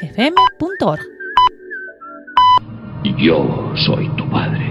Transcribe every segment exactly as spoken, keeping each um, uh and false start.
f m punto org. Yo soy tu padre.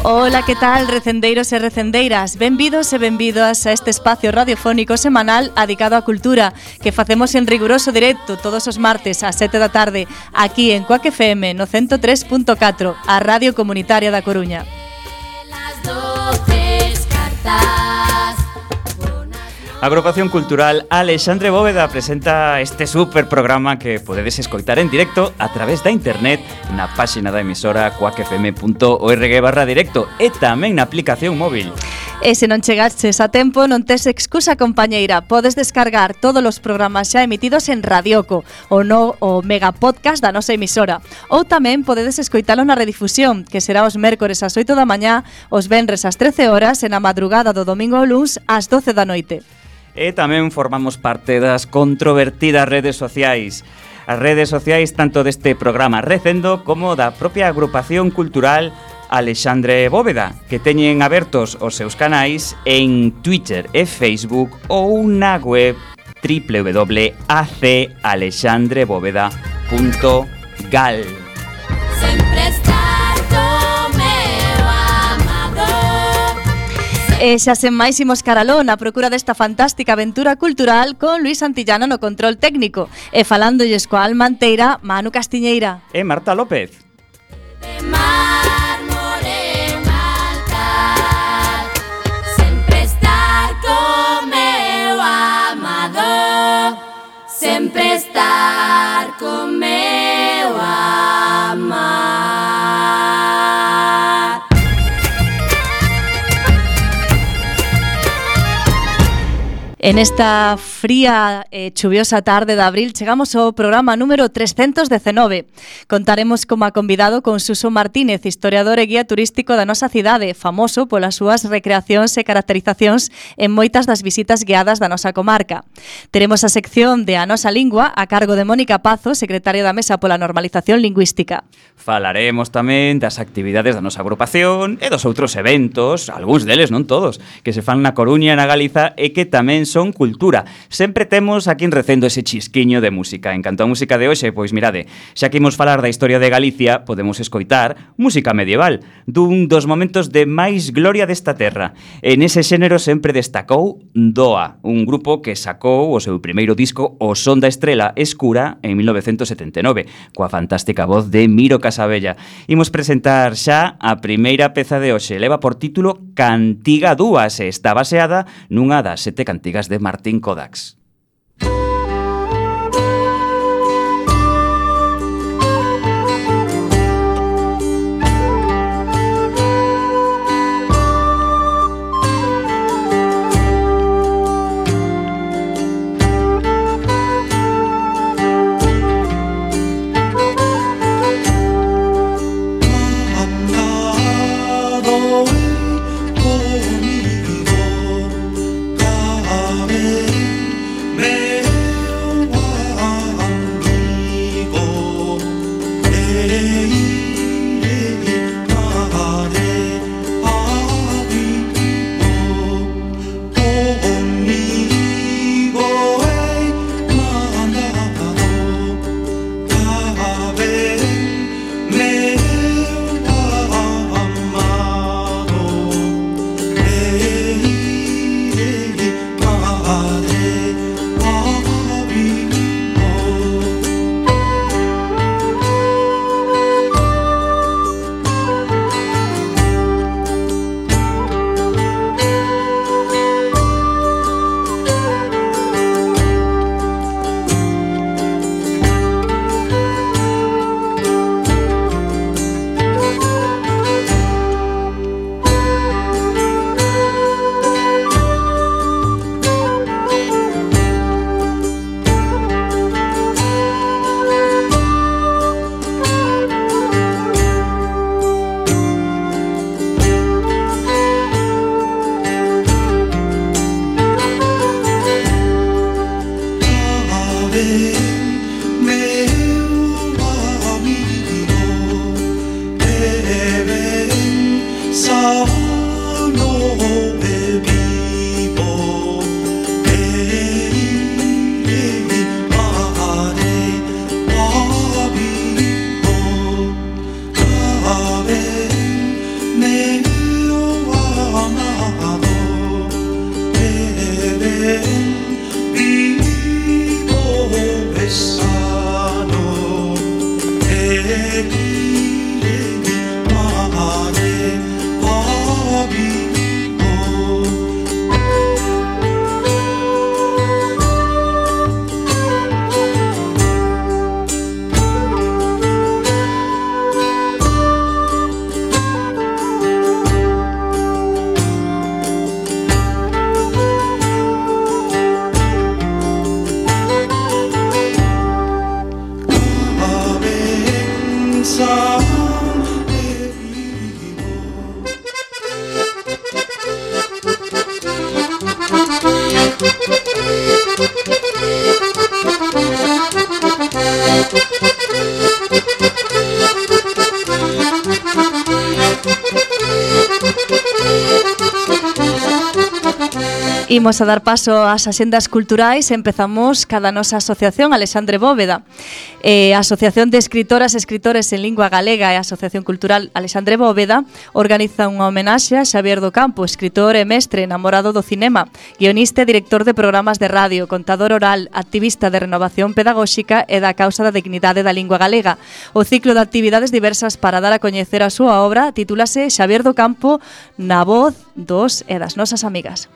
Ola, que tal, recendeiros e recendeiras? Benvidos e benvidas a este espacio radiofónico semanal adicado á cultura que facemos en riguroso directo todos os martes ás sete da tarde aquí en Cuac F M no ciento tres punto catro, a Radio Comunitaria da Coruña. A Agrupación Cultural Alexandre Bóveda presenta este super programa que podedes escoitar en directo a través da internet na páxina da emisora cuac f m punto org barra directo e tamén na aplicación móvil. E se non chegaches a tempo, non tes excusa, compañeira. Podes descargar todos os programas xa emitidos en Radioco, ou no o mega podcast da nosa emisora. Ou tamén podedes escoitalo na redifusión, que será os mércores ás oito da mañá, os venres ás trece horas e na madrugada do domingo ao luns ás doce da noite. E tamén formamos parte das controvertidas redes sociais. As redes sociais tanto deste programa Recendo como da propia Agrupación Cultural Alexandre Bóveda, que teñen abertos os seus canais en Twitter e Facebook ou na web doble u doble u doble u punto a c alexandre bóveda punto gal. Sempre estar co meu amado. E xa sen máis imos caralón a procura desta fantástica aventura cultural con Luis Santillano no control técnico e falándolles coa alma anteira Manu Castiñeira e Marta López. Sempre estar con meu amar. En esta fría e eh, chuviosa tarde de abril chegamos ao programa número trescentos dezenove. Contaremos como a convidado con Suso Martínez, historiador e guía turístico da nosa cidade, famoso polas súas recreacións e caracterizacións en moitas das visitas guiadas da nosa comarca. Teremos a sección de A Nosa Lingua a cargo de Mónica Pazo, secretaria da Mesa pola Normalización Lingüística. Falaremos tamén das actividades da nosa agrupación e dos outros eventos, algúns deles, non todos, que se fan na Coruña e na Galiza e que tamén son cultura. Sempre temos aquí en Recendo ese chisquiño de música. En canto a música de hoxe, pois mirade, xa que imos falar da historia de Galicia, podemos escoitar música medieval, dun dos momentos de máis gloria desta terra. En ese xénero sempre destacou Doa, un grupo que sacou o seu primeiro disco O Son da Estrela Escura en mil novecentos setenta e nove, coa fantástica voz de Miro Casabella. Imos presentar xa a primeira peza de hoxe. Leva por título Cantiga Dúas e está baseada nunha das sete cantigas de Martín Kodax. Imos a dar paso ás axendas culturais e empezamos cada nosa asociación Alexandre Bóveda. Eh, a Asociación de Escritoras e Escritores en Lingua Galega e a Asociación Cultural Alexandre Bóveda organiza unha homenaxe a Xavier do Campo, escritor e mestre enamorado do cinema, guionista e director de programas de radio, contador oral, activista de renovación pedagóxica e da causa da dignidade da lingua galega. O ciclo de actividades diversas para dar a coñecer a súa obra titúlase Xavier do Campo na voz dos e das nosas amigas.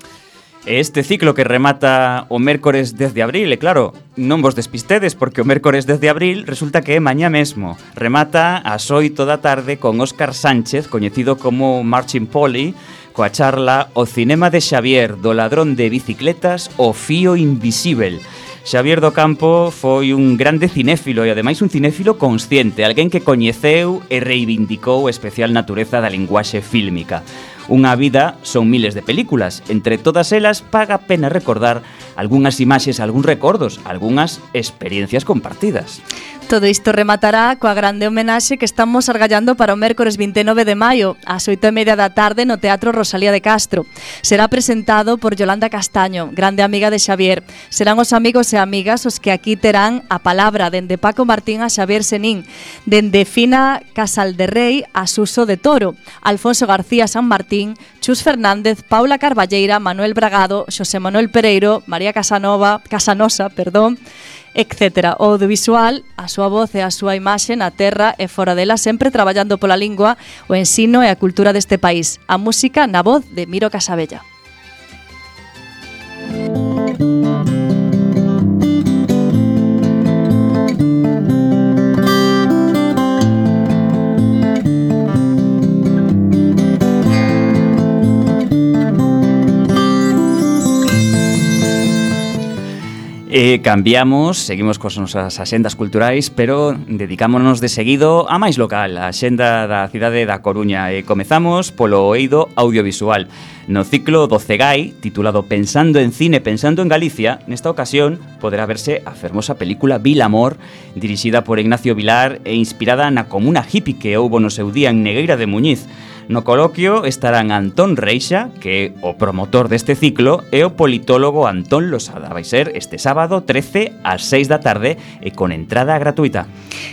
Este ciclo que remata o mércores dez de abril, e claro, non vos despistedes porque o mércores dez de abril resulta que é mañá mesmo. Remata ás oito da tarde con Óscar Sánchez, coñecido como Marching Polly, coa charla O cinema de Xavier, do ladrón de bicicletas, o fío invisível. Xavier do Campo foi un grande cinéfilo e ademais un cinéfilo consciente, alguén que coñeceu e reivindicou a especial natureza da linguaxe fílmica. Unha vida son miles de películas, entre todas elas paga a pena recordar algunhas imaxes, algúns recordos, algunhas experiencias compartidas. Todo isto rematará coa grande homenaxe que estamos argallando para o mércores vinte e nove de maio, ás oito e media da tarde no Teatro Rosalía de Castro. Será presentado por Yolanda Castaño, grande amiga de Xavier. Serán os amigos e amigas os que aquí terán a palabra dende Paco Martín a Xavier Senín, dende Fina Casalderrey a Suso de Toro, Alfonso García San Martín, Chus Fernández, Paula Carballeira, Manuel Bragado, Xosé Manuel Pereiro, María Casanova, Casanosa, perdón, etcétera. O audiovisual, a súa voz e a súa imaxe na terra e fora dela, sempre traballando pola lingua, o ensino e a cultura deste país. A música na voz de Miro Casabella. E cambiamos, seguimos cos nosas axendas culturais, pero dedicámonos de seguido a máis local, a axenda da cidade da Coruña. E comezamos polo eido audiovisual. No ciclo do CEGAI, titulado Pensando en cine, pensando en Galicia, nesta ocasión poderá verse a fermosa película Vilamor, dirixida por Ignacio Vilar e inspirada na comuna hippie que houbo no seu día en Negueira de Muñiz. No coloquio estarán Antón Reixa, que é o promotor deste ciclo, e o politólogo Antón Losada. Vai ser este sábado trece ás seis da tarde e con entrada gratuita.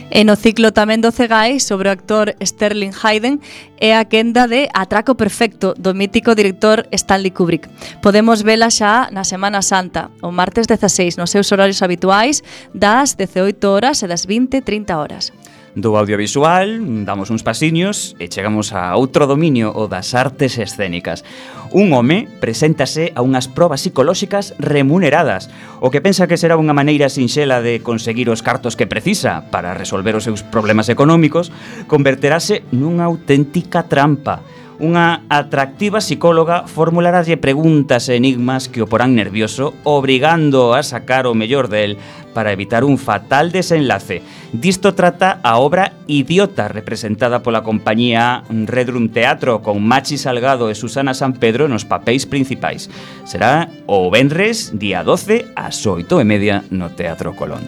E no ciclo tamén do CEGAI sobre o actor Sterling Hayden é a quenda de Atraco Perfecto do mítico director Stanley Kubrick. Podemos vela xa na Semana Santa, o martes dezaseis, nos seus horarios habituais das dezaoito horas e das vinte e trinta horas. Do audiovisual, damos uns pasiños e chegamos a outro dominio, o das artes escénicas. Un home preséntase a unhas probas psicolóxicas remuneradas, o que pensa que será unha maneira sinxela de conseguir os cartos que precisa para resolver os seus problemas económicos, converterase nunha auténtica trampa. Unha atractiva psicóloga formularaslle preguntas e enigmas que o porán nervioso, obrigando a sacar o mellor del, para evitar un fatal desenlace. Disto trata a obra Idiota, representada pola compañía Redrum Teatro, con Machi Salgado e Susana Sampedro nos papéis principais. Será o venres, día doce, ás oito e media no Teatro Colón.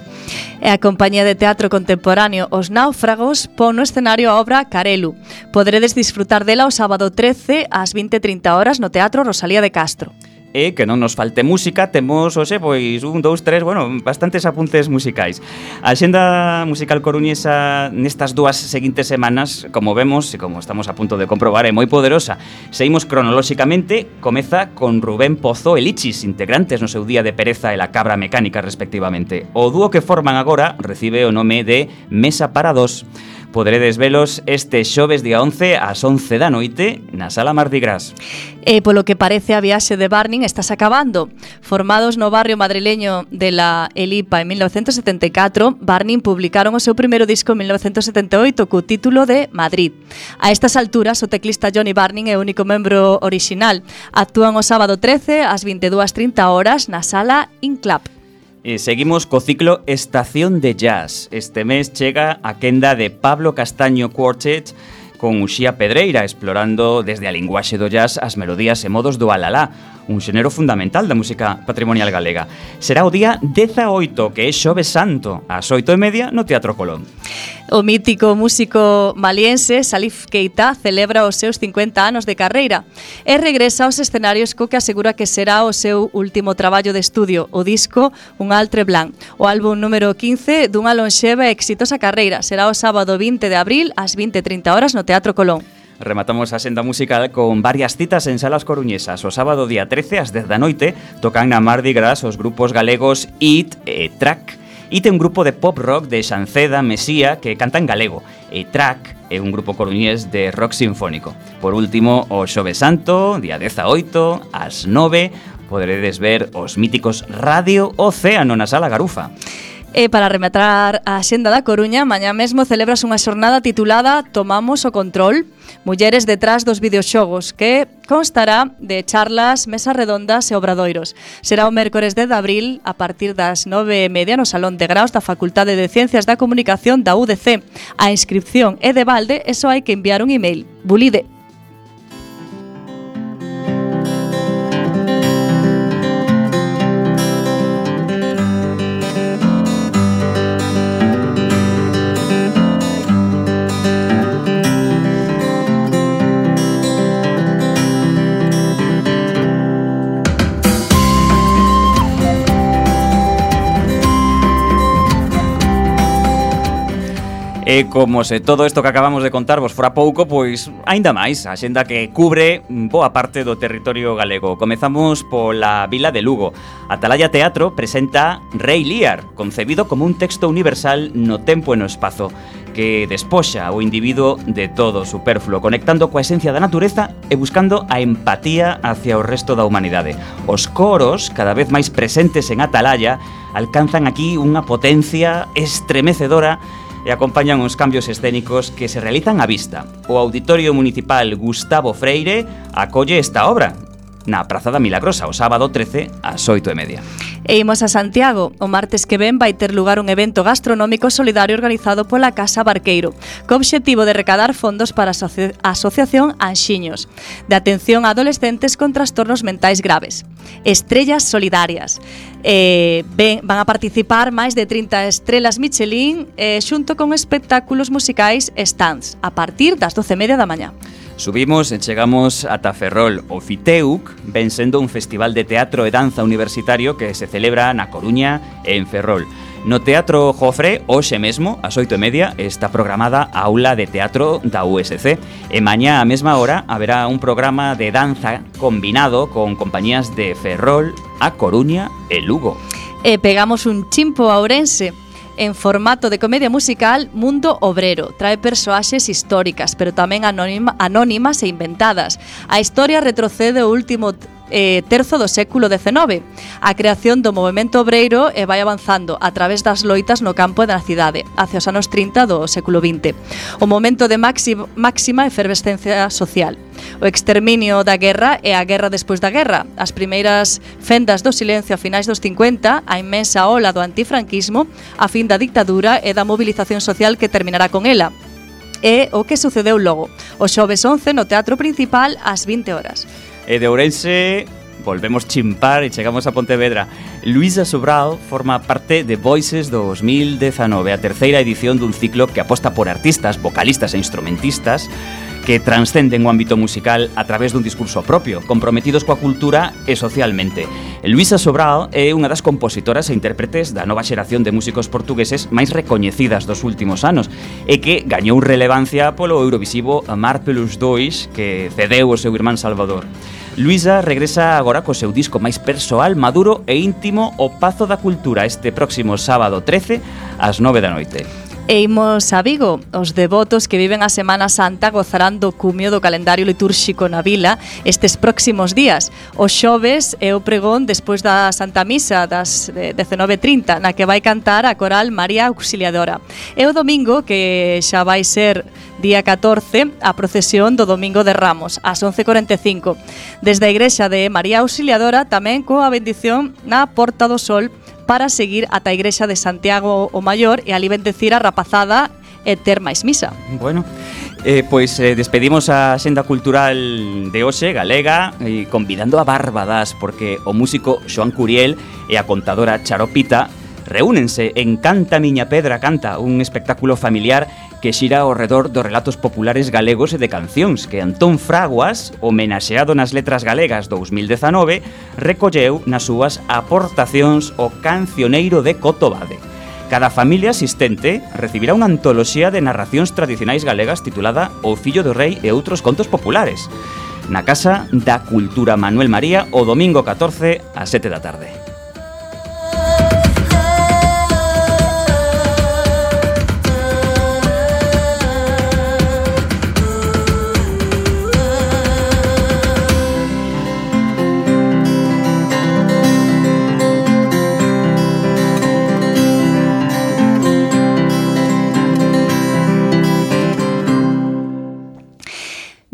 E a compañía de teatro contemporáneo Os Náufragos pon no escenario a obra Carelu. Poderedes disfrutar dela o sábado trece ás vinte e trinta horas no Teatro Rosalía de Castro. E que non nos falte música, temos, hoxe, pois, un, dous, tres, bueno, bastantes apuntes musicais. A xenda musical coruñesa nestas dúas seguintes semanas, como vemos e como estamos a punto de comprobar, é moi poderosa. Seguimos cronolóxicamente, comeza con Rubén Pozo e Lichis, integrantes no seu día de Pereza e la Cabra Mecánica, respectivamente. O dúo que forman agora recibe o nome de Mesa para Dos. Poderedes velos este xoves día once ás once da noite na Sala Mardi Gras. E polo que parece a viaxe de Barning estás acabando. Formados no barrio madrileño de la Elipa en mil novecentos setenta e catro, Barning publicaron o seu primeiro disco en mil novecentos setenta e oito co título de Madrid. A estas alturas, o teclista Johnny Barning é o único membro orixinal. Actúan o sábado trece ás vinte e dúas e trinta horas na Sala Inclap. E seguimos co ciclo Estación de Jazz. Este mes chega a quenda de Pablo Castaño Quartet con Uxía Pedreira, explorando desde a linguaxe do jazz as melodías e modos do alalá, un xénero fundamental da música patrimonial galega. Será o día dezaoito, que é Xoves Santo, ás oito e media no Teatro Colón. O mítico músico maliense Salif Keita celebra os seus cincuenta anos de carreira e regresa aos escenarios co que asegura que será o seu último traballo de estudio, o disco Un Altre Blanc, o álbum número quince dunha lonxeva e exitosa carreira. Será o sábado vinte de abril ás vinte e trinta horas no Teatro Colón. Rematamos a senda musical con varias citas en salas coruñesas. O sábado día trece ás dez da noite tocan na Mardi Gras os grupos galegos It e Track. It é un grupo de pop rock de Xanceda, Mesía, que canta en galego. E Track é un grupo coruñés de rock sinfónico. Por último, o Xoves Santo, día dezaoito, ás nove, poderedes ver os míticos Radio Océano na Sala Garufa. E para rematar a xenda da Coruña, mañá mesmo celebras unha xornada titulada Tomamos o Control, mulleres detrás dos videoxogos, que constará de charlas, mesas redondas e obradoiros. Será o mércores dez de abril a partir das nove e media no Salón de Graos da Facultade de Ciencias da Comunicación da U D C. A inscripción é de balde e só hai que enviar un email. Bulide. E como se todo isto que acabamos de contar vos fora pouco, pois aínda máis, a xenda que cubre boa parte do territorio galego. Comezamos pola vila de Lugo. Atalaya Teatro presenta Rei Lear, concebido como un texto universal no tempo e no espazo, que despoxa o individuo de todo o superfluo, conectando coa esencia da natureza e buscando a empatía hacia o resto da humanidade. Os coros, cada vez máis presentes en Atalaya, alcanzan aquí unha potencia estremecedora e acompañan os cambios escénicos que se realizan á vista. O Auditorio Municipal Gustavo Freire acolle esta obra na Praza da Milagrosa o sábado trece ás oito e media. E imos a Santiago. O martes que ven vai ter lugar un evento gastronómico solidario organizado pola Casa Barqueiro, co obxectivo de recadar fondos para a asoci- Asociación Anxiños, de atención a adolescentes con trastornos mentais graves. Estrellas solidarias. Eh, ben, van a participar máis de trinta estrelas Michelin eh, xunto con espectáculos musicais e stands a partir das doce e media da mañá. Subimos e chegamos ata Ferrol. O Fiteuc ven sendo un festival de teatro e danza universitario que se celebra na Coruña e en Ferrol. No Teatro Jofre, hoxe mesmo, ás oito e media, está programada a aula de teatro da U S C. E mañá, á mesma hora, haberá un programa de danza combinado con compañías de Ferrol, A Coruña e Lugo. E pegamos un chimpo a Ourense. En formato de comedia musical, Mundo Obrero trae persoaxes históricas, pero tamén anónima, anónimas e inventadas. A historia retrocede o último eh, terzo do século dezenove. A creación do movemento obreiro e vai avanzando a través das loitas no campo e da cidade, hacia os anos trinta do século vinte. O momento de máxima, máxima efervescencia social. O exterminio da guerra e a guerra despois da guerra. As primeiras fendas do silencio a finais dos cincuenta, a inmensa ola do antifranquismo, a fin da dictadura e da movilización social que terminará con ela. E o que sucedeu logo, o xoves once no Teatro Principal ás vinte horas. E de Ourense volvemos chimpar e chegamos a Pontevedra. Luisa Sobral forma parte de Voices dos mil dezanove, a terceira edición dun ciclo que aposta por artistas, vocalistas e instrumentistas que transcenden o ámbito musical a través dun discurso propio, comprometidos coa cultura e socialmente. Luisa Sobral é unha das compositoras e intérpretes da nova xeración de músicos portugueses máis recoñecidas dos últimos anos e que gañou relevancia polo Eurovisivo Amar pelos Dois que cedeu o seu irmán Salvador. Luisa regresa agora co seu disco máis persoal, maduro e íntimo, O Pazo da Cultura, este próximo sábado trece ás nove da noite. E imos a Vigo. Os devotos que viven a Semana Santa gozarán do cumio do calendario litúrxico na vila estes próximos días. O xoves é o pregón despois da Santa Misa das dezenove e trinta, na que vai cantar a coral María Auxiliadora. E o domingo, que xa vai ser día catorce, a procesión do Domingo de Ramos, ás once e cuarenta e cinco. Desde a igrexa de María Auxiliadora, tamén coa bendición na Porta do Sol, para seguir ata a igrexa de Santiago o Maior e ali bendecir a rapazada e ter máis misa. Bueno, eh, pois eh, despedimos a xenda cultural de hoxe, galega, e convidando a Bárbadas, porque o músico Xoán Curiel e a contadora Charopita reúnense en Canta Miña Pedra Canta, un espectáculo familiar que xira ao redor dos relatos populares galegos e de cancións que Antón Fraguas, homenaxeado nas letras galegas dos mil dezanove, recolleu nas súas aportacións o Cancioneiro de Cotobade. Cada familia asistente recibirá unha antoloxía de narracións tradicionais galegas titulada O Fillo do Rei e outros contos populares, na Casa da Cultura Manuel María o domingo catorce ás sete da tarde.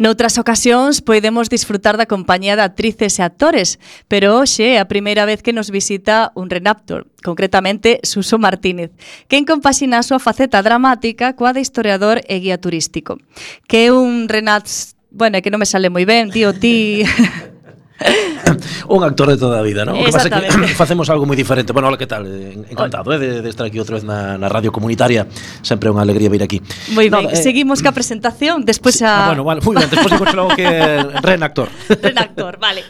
Noutras ocasións podemos disfrutar da compañía de actrices e actores, pero hoxe é a primeira vez que nos visita un renactor, concretamente Suso Martínez, quen compaxina a súa faceta dramática coa de historiador e guía turístico. Que é un renactor, bueno, é que non me sale moi ben, tío, ti... Un actor de toda a vida, non? O que pasa é que facemos algo moi diferente. Bueno, hola, que tal? Encantado, eh, de, de estar aquí outra vez na, na radio comunitaria. Sempre é unha alegría vir aquí. Moi ben, no, eh, seguimos ca presentación, despois sí, a... Ah, bueno, vale, moi ben, despois digo logo que renactor. Renactor, vale.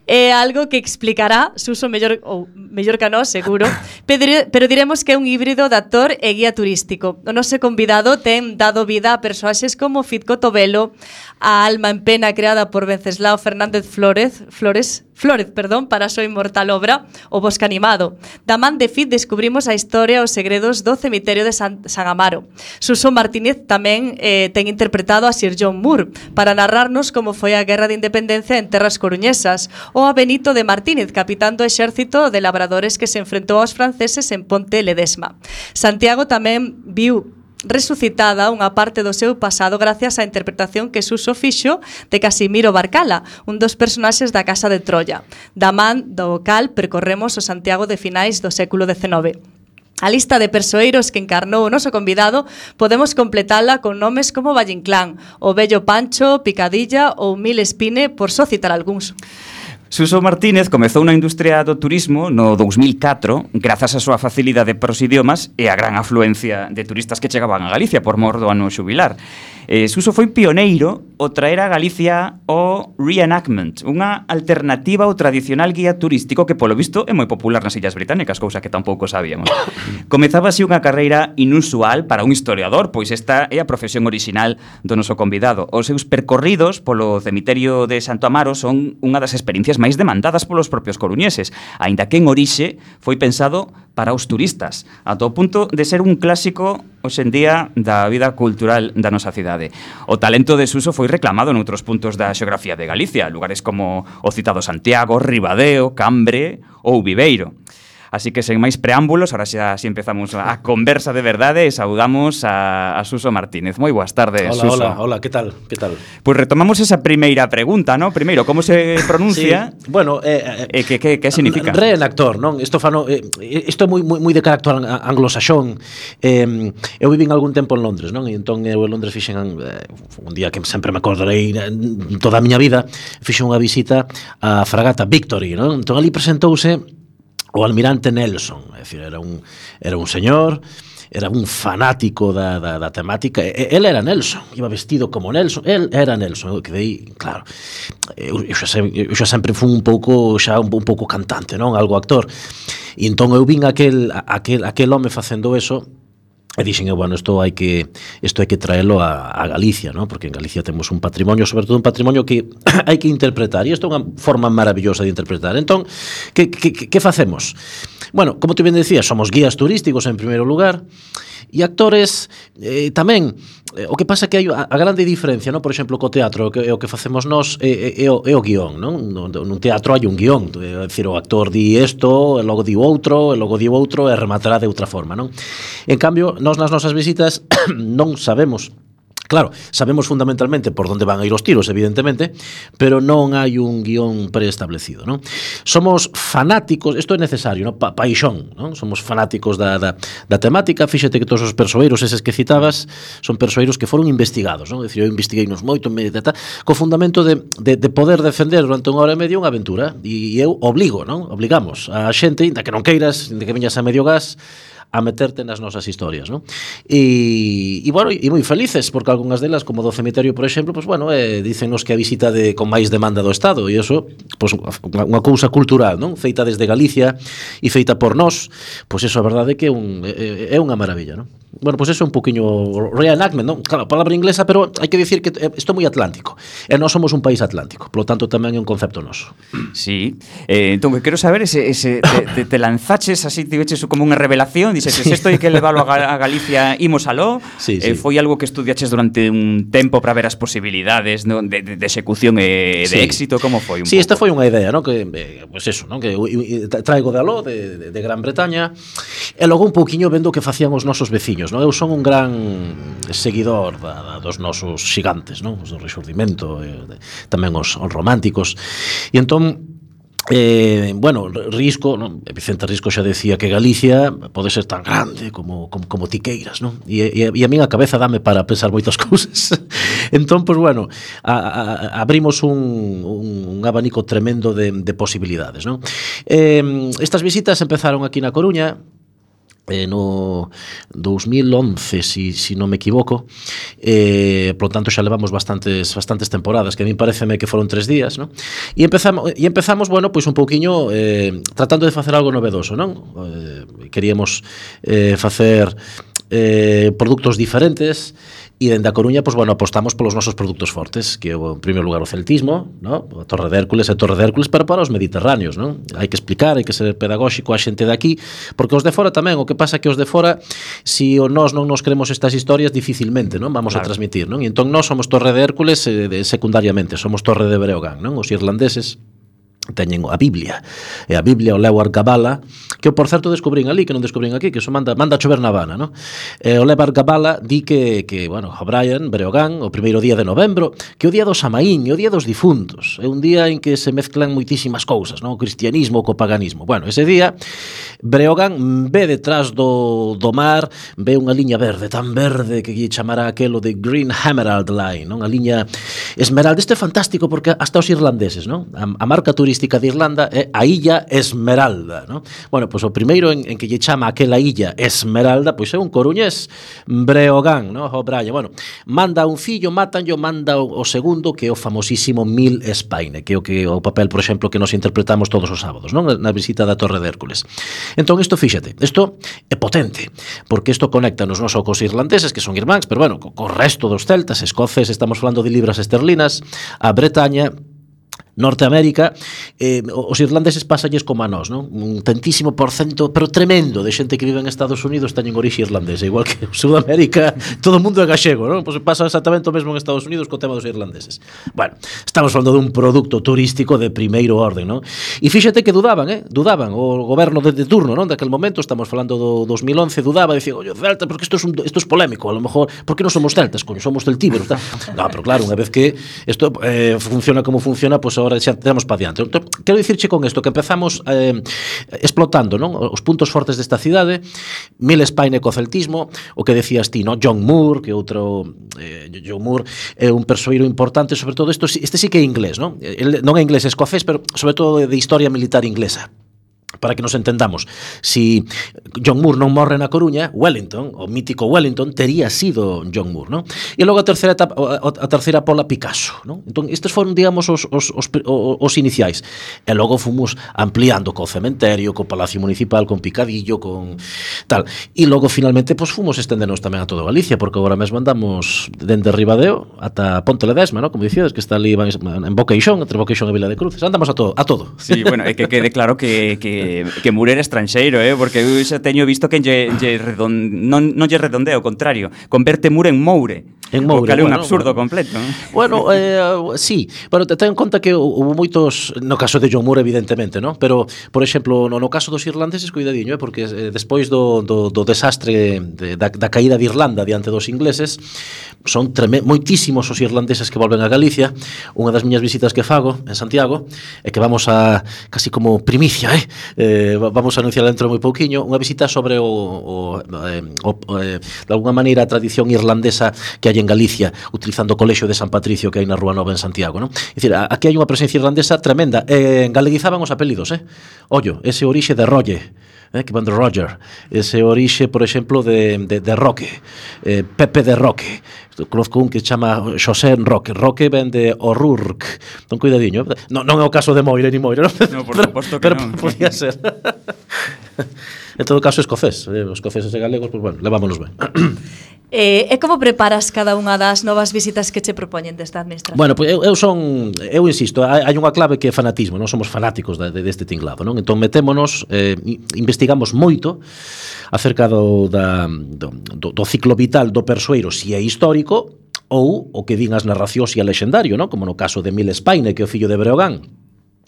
É algo que explicará Suso mellor ou mellor que nós, seguro, pero, pero diremos que é un híbrido de actor e guía turístico. O noso convidado ten dado vida a persoaxes como Fitco Tobelo, a alma en pena creada por Venceslao Fernández Flores, Flores, Flores, perdón, para a súa inmortal obra O Bosque Animado. Da man de Fit descubrimos a historia e os segredos do cemiterio de San, San Amaro. Suso Martínez tamén eh, ten interpretado a Sir John Moore para narrarnos como foi a Guerra de Independencia en terras coruñesas, ou a Benito de Martínez, capitán do exército de labradores que se enfrentou aos franceses en Ponte Ledesma. Santiago tamén viu resucitada unha parte do seu pasado gracias á interpretación que Suso fixo de Casimiro Barcala, un dos personaxes da Casa de Troya. Da man do cal percorremos o Santiago de finais do século dezenove. A lista de persoeiros que encarnou o noso convidado podemos completala con nomes como Valle Inclán, o Vello Pancho, Picadilla ou Mil Espine, por só citar algúns. Suso Martínez comezou na industria do turismo no dous mil catro grazas á súa facilidade para os idiomas e a gran afluencia de turistas que chegaban a Galicia por mor do ano xubilar. Eh, Suso foi pioneiro o traer a Galicia o reenactment, unha alternativa ao tradicional guía turístico que polo visto é moi popular nas Illas Británicas, cousa que tampouco sabíamos. Comezaba así unha carreira inusual para un historiador, pois esta é a profesión orixinal do noso convidado. Os seus percorridos polo cemiterio de Santo Amaro son unha das experiencias máis demandadas polos propios coruñeses, aínda que en orixe foi pensado para os turistas, ata o punto de ser un clásico hoxe en día da vida cultural da nosa cidade. O talento de Suso foi reclamado noutros puntos da xeografía de Galicia, lugares como o citado Santiago, Ribadeo, Cambre ou Viveiro. Así que, sen máis preámbulos, ahora xa si empezamos a conversa de verdade e saudamos a, a Suso Martínez. Moi boas tardes, hola, Suso. Hola, hola, que tal? Que tal? Pois pues retomamos esa primeira pregunta, ¿no? Primeiro, como se pronuncia? Sí, bueno, eh, eh, que, que, que significa? Reenactor, non? Isto fano, eh, isto é moi, moi, moi de carácter anglosaxón. Eh, eu vivín algún tempo en Londres, non? E entón eu en Londres fixen eh, un día que sempre me acordarei toda a miña vida, fixen unha visita á fragata Victory, non? Entón ali presentouse o almirante Nelson, é dicir, era un, era un señor, era un fanático da, da, da temática, e, ele era Nelson, iba vestido como Nelson, el era Nelson, eu quedei, claro, eu, eu, xa, sempre, eu xa sempre fui un pouco, xa un, un pouco cantante, non, algo actor, e entón eu vin aquel, aquel, aquel home facendo eso, e dixen, bueno, isto hai que isto hai que traelo a, a Galicia, ¿no? Porque en Galicia temos un patrimonio, sobre todo un patrimonio que hai que interpretar, e isto é unha forma maravillosa de interpretar. Entón, que, que, que facemos? Bueno, como tú ben decías, somos guías turísticos en primeiro lugar, e actores eh, tamén. Eh, o que pasa que hai a, a grande diferencia, ¿no? Por exemplo, co teatro, que, o que facemos nós é, é, é, o, é o guión, non? No, nun teatro hai un guión, é dicir, o actor di isto, e logo di outro, e logo di outro, e rematará de outra forma, non? En cambio, nós nas nosas visitas non sabemos. Claro, sabemos fundamentalmente por onde van a ir os tiros, evidentemente, pero non hai un guión preestablecido, non? Somos fanáticos, isto é necesario, non? Pa, paixón, non? Somos fanáticos da, da, da temática, fíxate que todos os persoeiros eses que citabas son persoeiros que foron investigados, non? É dicir, eu investiguei-nos moito, me, ta, ta, co fundamento de, de, de poder defender durante unha hora e media unha aventura, e eu obligo, non? Obligamos a xente, inda que non queiras, inda que viñas a medio gas, a meterte nas nosas historias, ¿no? E, e bueno, e moi felices, porque algunhas delas, como do cemiterio, por exemplo, pues bueno, eh, dícennos que a visita de con máis demanda do Estado, e iso, pues unha, unha cousa cultural, non? Feita desde Galicia e feita por nós, pues eso, a verdade é que é, un, é, é unha maravilla, non? Bueno, pues eso é un poquinho reenactment, non? Claro, palabra inglesa, pero hai que dicir que isto é moi atlántico, e nós somos un país atlántico, polo tanto tamén é un concepto noso. Sí, eh, entón, quero saber, ese, ese, te, te, te lanzaches así, te veches como unha revelación, dices, sí. Isto hai que leválo a Galicia, imos aló, sí, sí. Eh, foi algo que estudiaches durante un tempo para ver as posibilidades, ¿no? de, de, de execución e de sí. éxito, como foi un Sí, pouco? Esta foi unha idea, ¿no? Que, eh, pues eso, ¿no? Que traigo de aló, de, de, de Gran Bretaña, e logo un pouquiño vendo que facían os nosos veciños, ¿no? Eu son un gran seguidor da, da, dos nosos xigantes, ¿no? Os do Rexurdimento, eh, de, tamén os, os románticos, e entón Eh, bueno, Risco, ¿no? Vicente Risco xa decía que Galicia pode ser tan grande como, como, como tiqueiras, ¿no? E, e, e a min a cabeza dame para pensar moitas cousas. Entón, pues bueno, a, a, abrimos un, un, un abanico tremendo de, de posibilidades, ¿no? Eh, estas visitas empezaron aquí na Coruña, Eh, no dos mil once, si, si non me equivoco, eh, por lo tanto xa levamos bastantes bastantes temporadas, que a mí pareceme que foron tres días, ¿no? E empezamos, e empezamos bueno, pois un pouquiño eh, tratando de facer algo novedoso, non? Eh, queríamos eh, facer eh, produtos diferentes, e dende a Coruña, pues, bueno, apostamos polos nosos produtos fortes, que é, en primeiro lugar, o celtismo, ¿no? A Torre de Hércules e Torre de Hércules, pero para os mediterráneos, ¿no? Hai que explicar, hai que ser pedagóxico a xente de aquí, porque os de fora tamén, o que pasa que os de fora, si o nós non nos creemos estas historias, dificilmente, ¿no? Vamos claro. a transmitir, ¿no? E entón nós somos Torre de Hércules eh, de, secundariamente, somos Torre de Breogán, ¿no? Os irlandeses teñen a Biblia, e a Biblia o Lewar Gabala, que eu por certo descubrín ali, que non descubrín aquí, que eso manda, manda a chover na Habana, ¿no? E o Lewar Gabala di que, que bueno, O'Brien, Breogán, o primeiro día de novembro, que o día do Samaín, o día dos difuntos, é un día en que se mezclan moitísimas cousas, ¿no? O cristianismo co paganismo. Bueno, ese día, Breogán ve detrás do, do mar, ve unha liña verde, tan verde que lle chamará aquelo de Green Emerald Line, ¿no? A liña esmeralda. Este é fantástico porque hasta os irlandeses, ¿no? A, a marca turística de Irlanda é a Illa Esmeralda, ¿no? Bueno, pois pues, o primeiro en, en que lle chama aquela Illa Esmeralda, pois pues, é un coruñés, Breogán, ¿no? O'Brien. Bueno, manda un fillo, matanlo, manda o, o segundo, que é o famosísimo Mil Espaine, que é o que o papel, por exemplo, que nos interpretamos todos os sábados, ¿no? Na visita da Torre de Hércules. Entón, isto, fíxate, isto é potente, porque isto conecta nos non só cos irlandeses, que son irmáns, pero bueno, co, co resto dos celtas, escoces, estamos falando de libras esterlinas, a Bretaña, Norteamérica, eh, os irlandeses pásalles como a nós, non? Un tantísimo porcento, pero tremendo, de xente que vive en Estados Unidos teñen orixe irlandesa, igual que en Sudamérica, todo o mundo é gallego, non? Pois pasa exactamente o mesmo en Estados Unidos co tema dos irlandeses. Bueno, estamos falando dun produto turístico de primeiro orden, non? E fíxate que dudaban, eh? Dudaban, o goberno de, de turno, non? Daquel momento, estamos falando do dos mil once, dudaba, dicía, oye, Celta, porque isto é un, isto é polémico, a lo mejor, por que non somos celtas, coño, somos celtíberos, tal. No, pero claro, unha vez que isto eh, funciona como funciona, pois pues ahora xa temos para diante. Entón, quero dicirche con isto que empezamos eh, explotando, non? Os puntos fortes desta cidade, Miles Payne co celtismo, o que decías ti, non? John Moore, que outro eh, John Moore é un persoeiro importante, sobre todo isto, este sí que é inglés, non? El non é inglés, é escocés, pero sobre todo de historia militar inglesa. Para que nos entendamos, si John Moore non morre na Coruña, Wellington, o mítico Wellington, tería sido John Moore, non? E logo a terceira etapa, a terceira pola, Picasso, non? Entón, estes foron, digamos, os, os, os, os iniciais. E logo fomos ampliando co cementerio, co Palacio Municipal, con Picadillo, con tal. E logo, finalmente, pues, fomos estendernos tamén a toda Galicia, porque agora mesmo andamos dende Ribadeo ata Ponte Ledesma, non? Como dicíades, que está ali en Boqueixón, entre Boqueixón e Vila de Cruces. Andamos a todo, a todo. Sí, bueno, é que quede claro que, que que Moore era estranxeiro, eh, porque eu xa teño visto que lle, lle redon, non, non lle redondea, ao contrario, converte Moore en Moure. En Moure, o cal é un bueno, absurdo bueno. completo. Bueno, eh, sí, pero ten en conta que hubo moitos, no caso de John Moore evidentemente, ¿no? Pero, por exemplo, no, no caso dos irlandeses, cuidadiño, eh, porque eh, despois do, do, do desastre de, da, da caída de Irlanda diante dos ingleses, son treme, moitísimos os irlandeses que volven a Galicia. Unha das miñas visitas que fago en Santiago é que vamos a, casi como primicia, eh, eh vamos a anunciar dentro moi pouquiño, unha visita sobre o, o, eh, o eh, de alguna maneira a tradición irlandesa que hai en Galicia, utilizando o colexio de San Patricio que hai na Rúa Nova en Santiago, non? É dicir, aquí hai unha presencia irlandesa tremenda. Eh, galeguizaban os apelidos, eh? Ollo, ese orixe de Rolle, eh, que van de Roger, ese orixe, por exemplo, de, de, de Roque, eh, Pepe de Roque. Conozco un que se chama Xosé Roque. Roque ven de O'Rourke. Non cuidadiño. Non, non é o caso de Moire ni Moire, non? No, por suposto que pero, non. Pero podía ser. En todo caso, escocés. Eh, os escoceses e galegos, pues bueno, levámonos ben. Eh, e como preparas cada unha das novas visitas que che propoñen desta administración? Bueno, pues eu, eu son, eu insisto, hai, hai unha clave que é fanatismo, non somos fanáticos de, de, deste tinglado, non? Entón metémonos, eh, investigamos moito acerca do, da, do, do ciclo vital do persoeiro, si é histórico ou o que din as narracións e a lexendario, non? Como no caso de Miles Payne, que é o fillo de Breogán,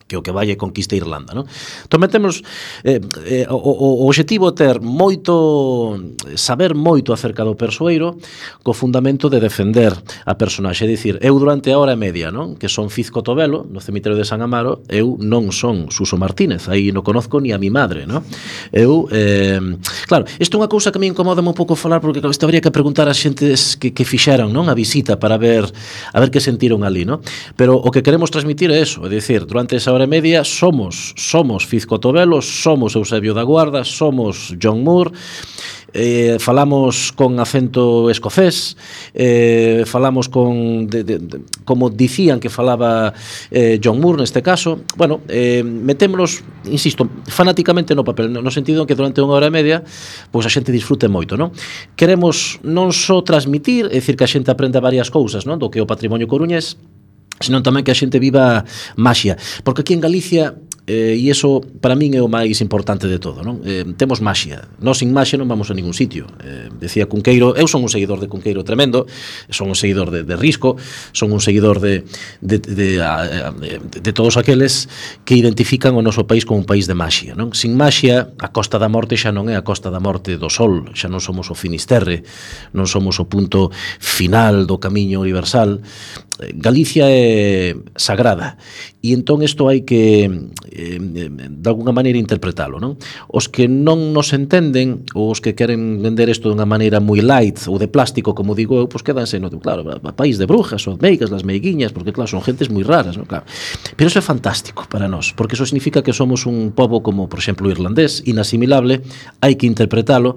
que o que vai é conquista Irlanda, non? Entón metemos eh, eh, o, o, o objetivo é ter moito, saber moito acerca do persoeiro co fundamento de defender a personaxe, é dicir, eu durante a hora e media, non? Que son Fiz Cotobelo, no cemiterio de San Amaro, eu non son Suso Martínez, aí non conozco ni a mi madre, non? Eu, eh, claro, isto é unha cousa que me incomoda un pouco falar, porque claro, isto habría que preguntar a xentes que, que fixeran, non? A visita para ver a ver que sentiron ali, non? Pero o que queremos transmitir é eso, é dicir, durante esa hora e media somos somos Fiz Cotobelo, somos Eusebio da Guarda, somos John Moore, eh, falamos con acento escocés, eh, falamos con de, de, de, como dicían que falaba eh, John Moore neste caso. Bueno, eh, metémonos, insisto, fanáticamente no papel, no sentido en que durante unha hora e media pois a xente disfrute moito, non? Queremos non só transmitir, é dicir, que a xente aprenda varias cousas, non? Do que é o patrimonio coruñés, senón tamén que a xente viva maxia, porque aquí en Galicia eh, e iso para min é o máis importante de todo, non? Eh, temos maxia, nós sin maxia non vamos a ningún sitio. Eh, decía Cunqueiro, eu son un seguidor de Cunqueiro tremendo, son un seguidor de, de Risco, son un seguidor de de, de, de, de, de todos aqueles que identifican o noso país como un país de maxia, non? Sin maxia, a Costa da Morte xa non é a Costa da Morte do Sol, xa non somos o Finisterre, non somos o punto final do camiño universal. Galicia é sagrada e entón isto hai que eh, de alguna maneira interpretalo, non? Os que non nos entenden ou os que queren vender isto de unha maneira moi light ou de plástico, como digo eu, pois quedanse no, claro, a país de brujas, os meigas, las meiguiñas, porque claro, son gentes moi raras, non? Claro. Pero iso é fantástico para nós, porque iso significa que somos un pobo como, por exemplo, o irlandés, inasimilable, hai que interpretalo,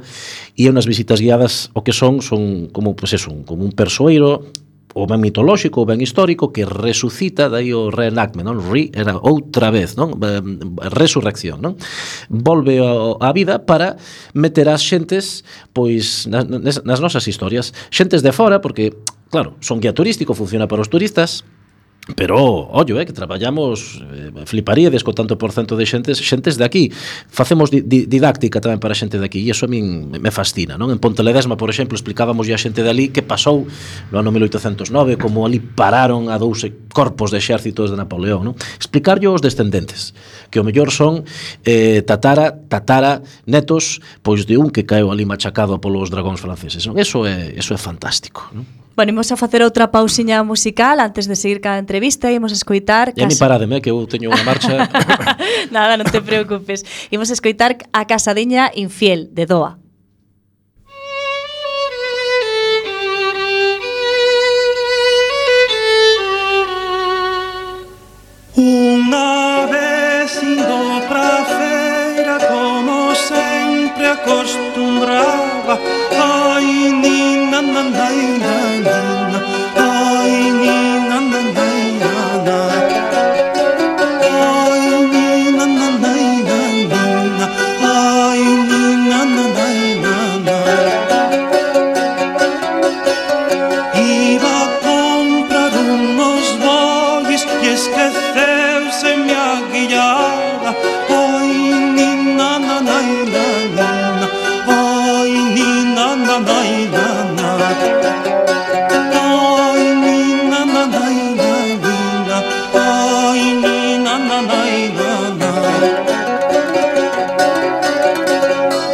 e é unhas visitas guiadas o que son, son como, pois eso, como un persoeiro o ben mitolóxico, o ben histórico, que resucita, daí o reenactment, non? Re, era outra vez, non? Resurrección, non? Volve á vida para meter as xentes, pois, nas, nas nosas historias. Xentes de fora, porque, claro, son guía turístico, funciona para os turistas, Pero, ollo, eh, que traballamos, eh, fliparíades co tanto por cento de xentes, xentes de aquí. Facemos di, di, didáctica tamén para xente de aquí, e iso a min me fascina, non? En Ponteledesma, por exemplo, explicábamos a xente de ali que pasou no ano mil oitocentos nove, como ali pararon a dous corpos de exércitos de Napoleón, non? Explicarlle aos descendentes, que o mellor son eh, tatara, tatara, netos, pois de un que caeu ali machacado polos dragóns franceses, non? Eso é, eso é fantástico, non? Bueno, imos a facer outra pausiña musical antes de seguir cada entrevista e imos a escoitar... E a mi parademe, que eu teño unha marcha... Nada, non te preocupes. Imos a escoitar A Casadiña Infiel, de Doa. Unha vez indo pra feira, como sempre acostumbraba, ai, nina, nana, nina, ai, nina, nana, nina, ai, nina, nana, nina, ai, nina, nana, nina. Iba a comprar unos bolis e esqueceuse minha guiada, ai, nina, nana, nina, ai, nina, nana, nina, ai, nina, nana, nina, ai, nina, nana, nina.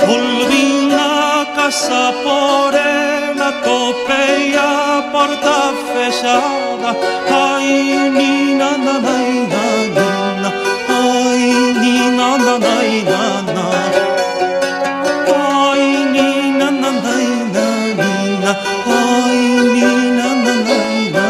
Volví a casa por ela, topei a porta fechada, ai, nina, nana, nina, ai, nina, nana, nina, ai, nina, nana, nina, ai, nina, nana, nina.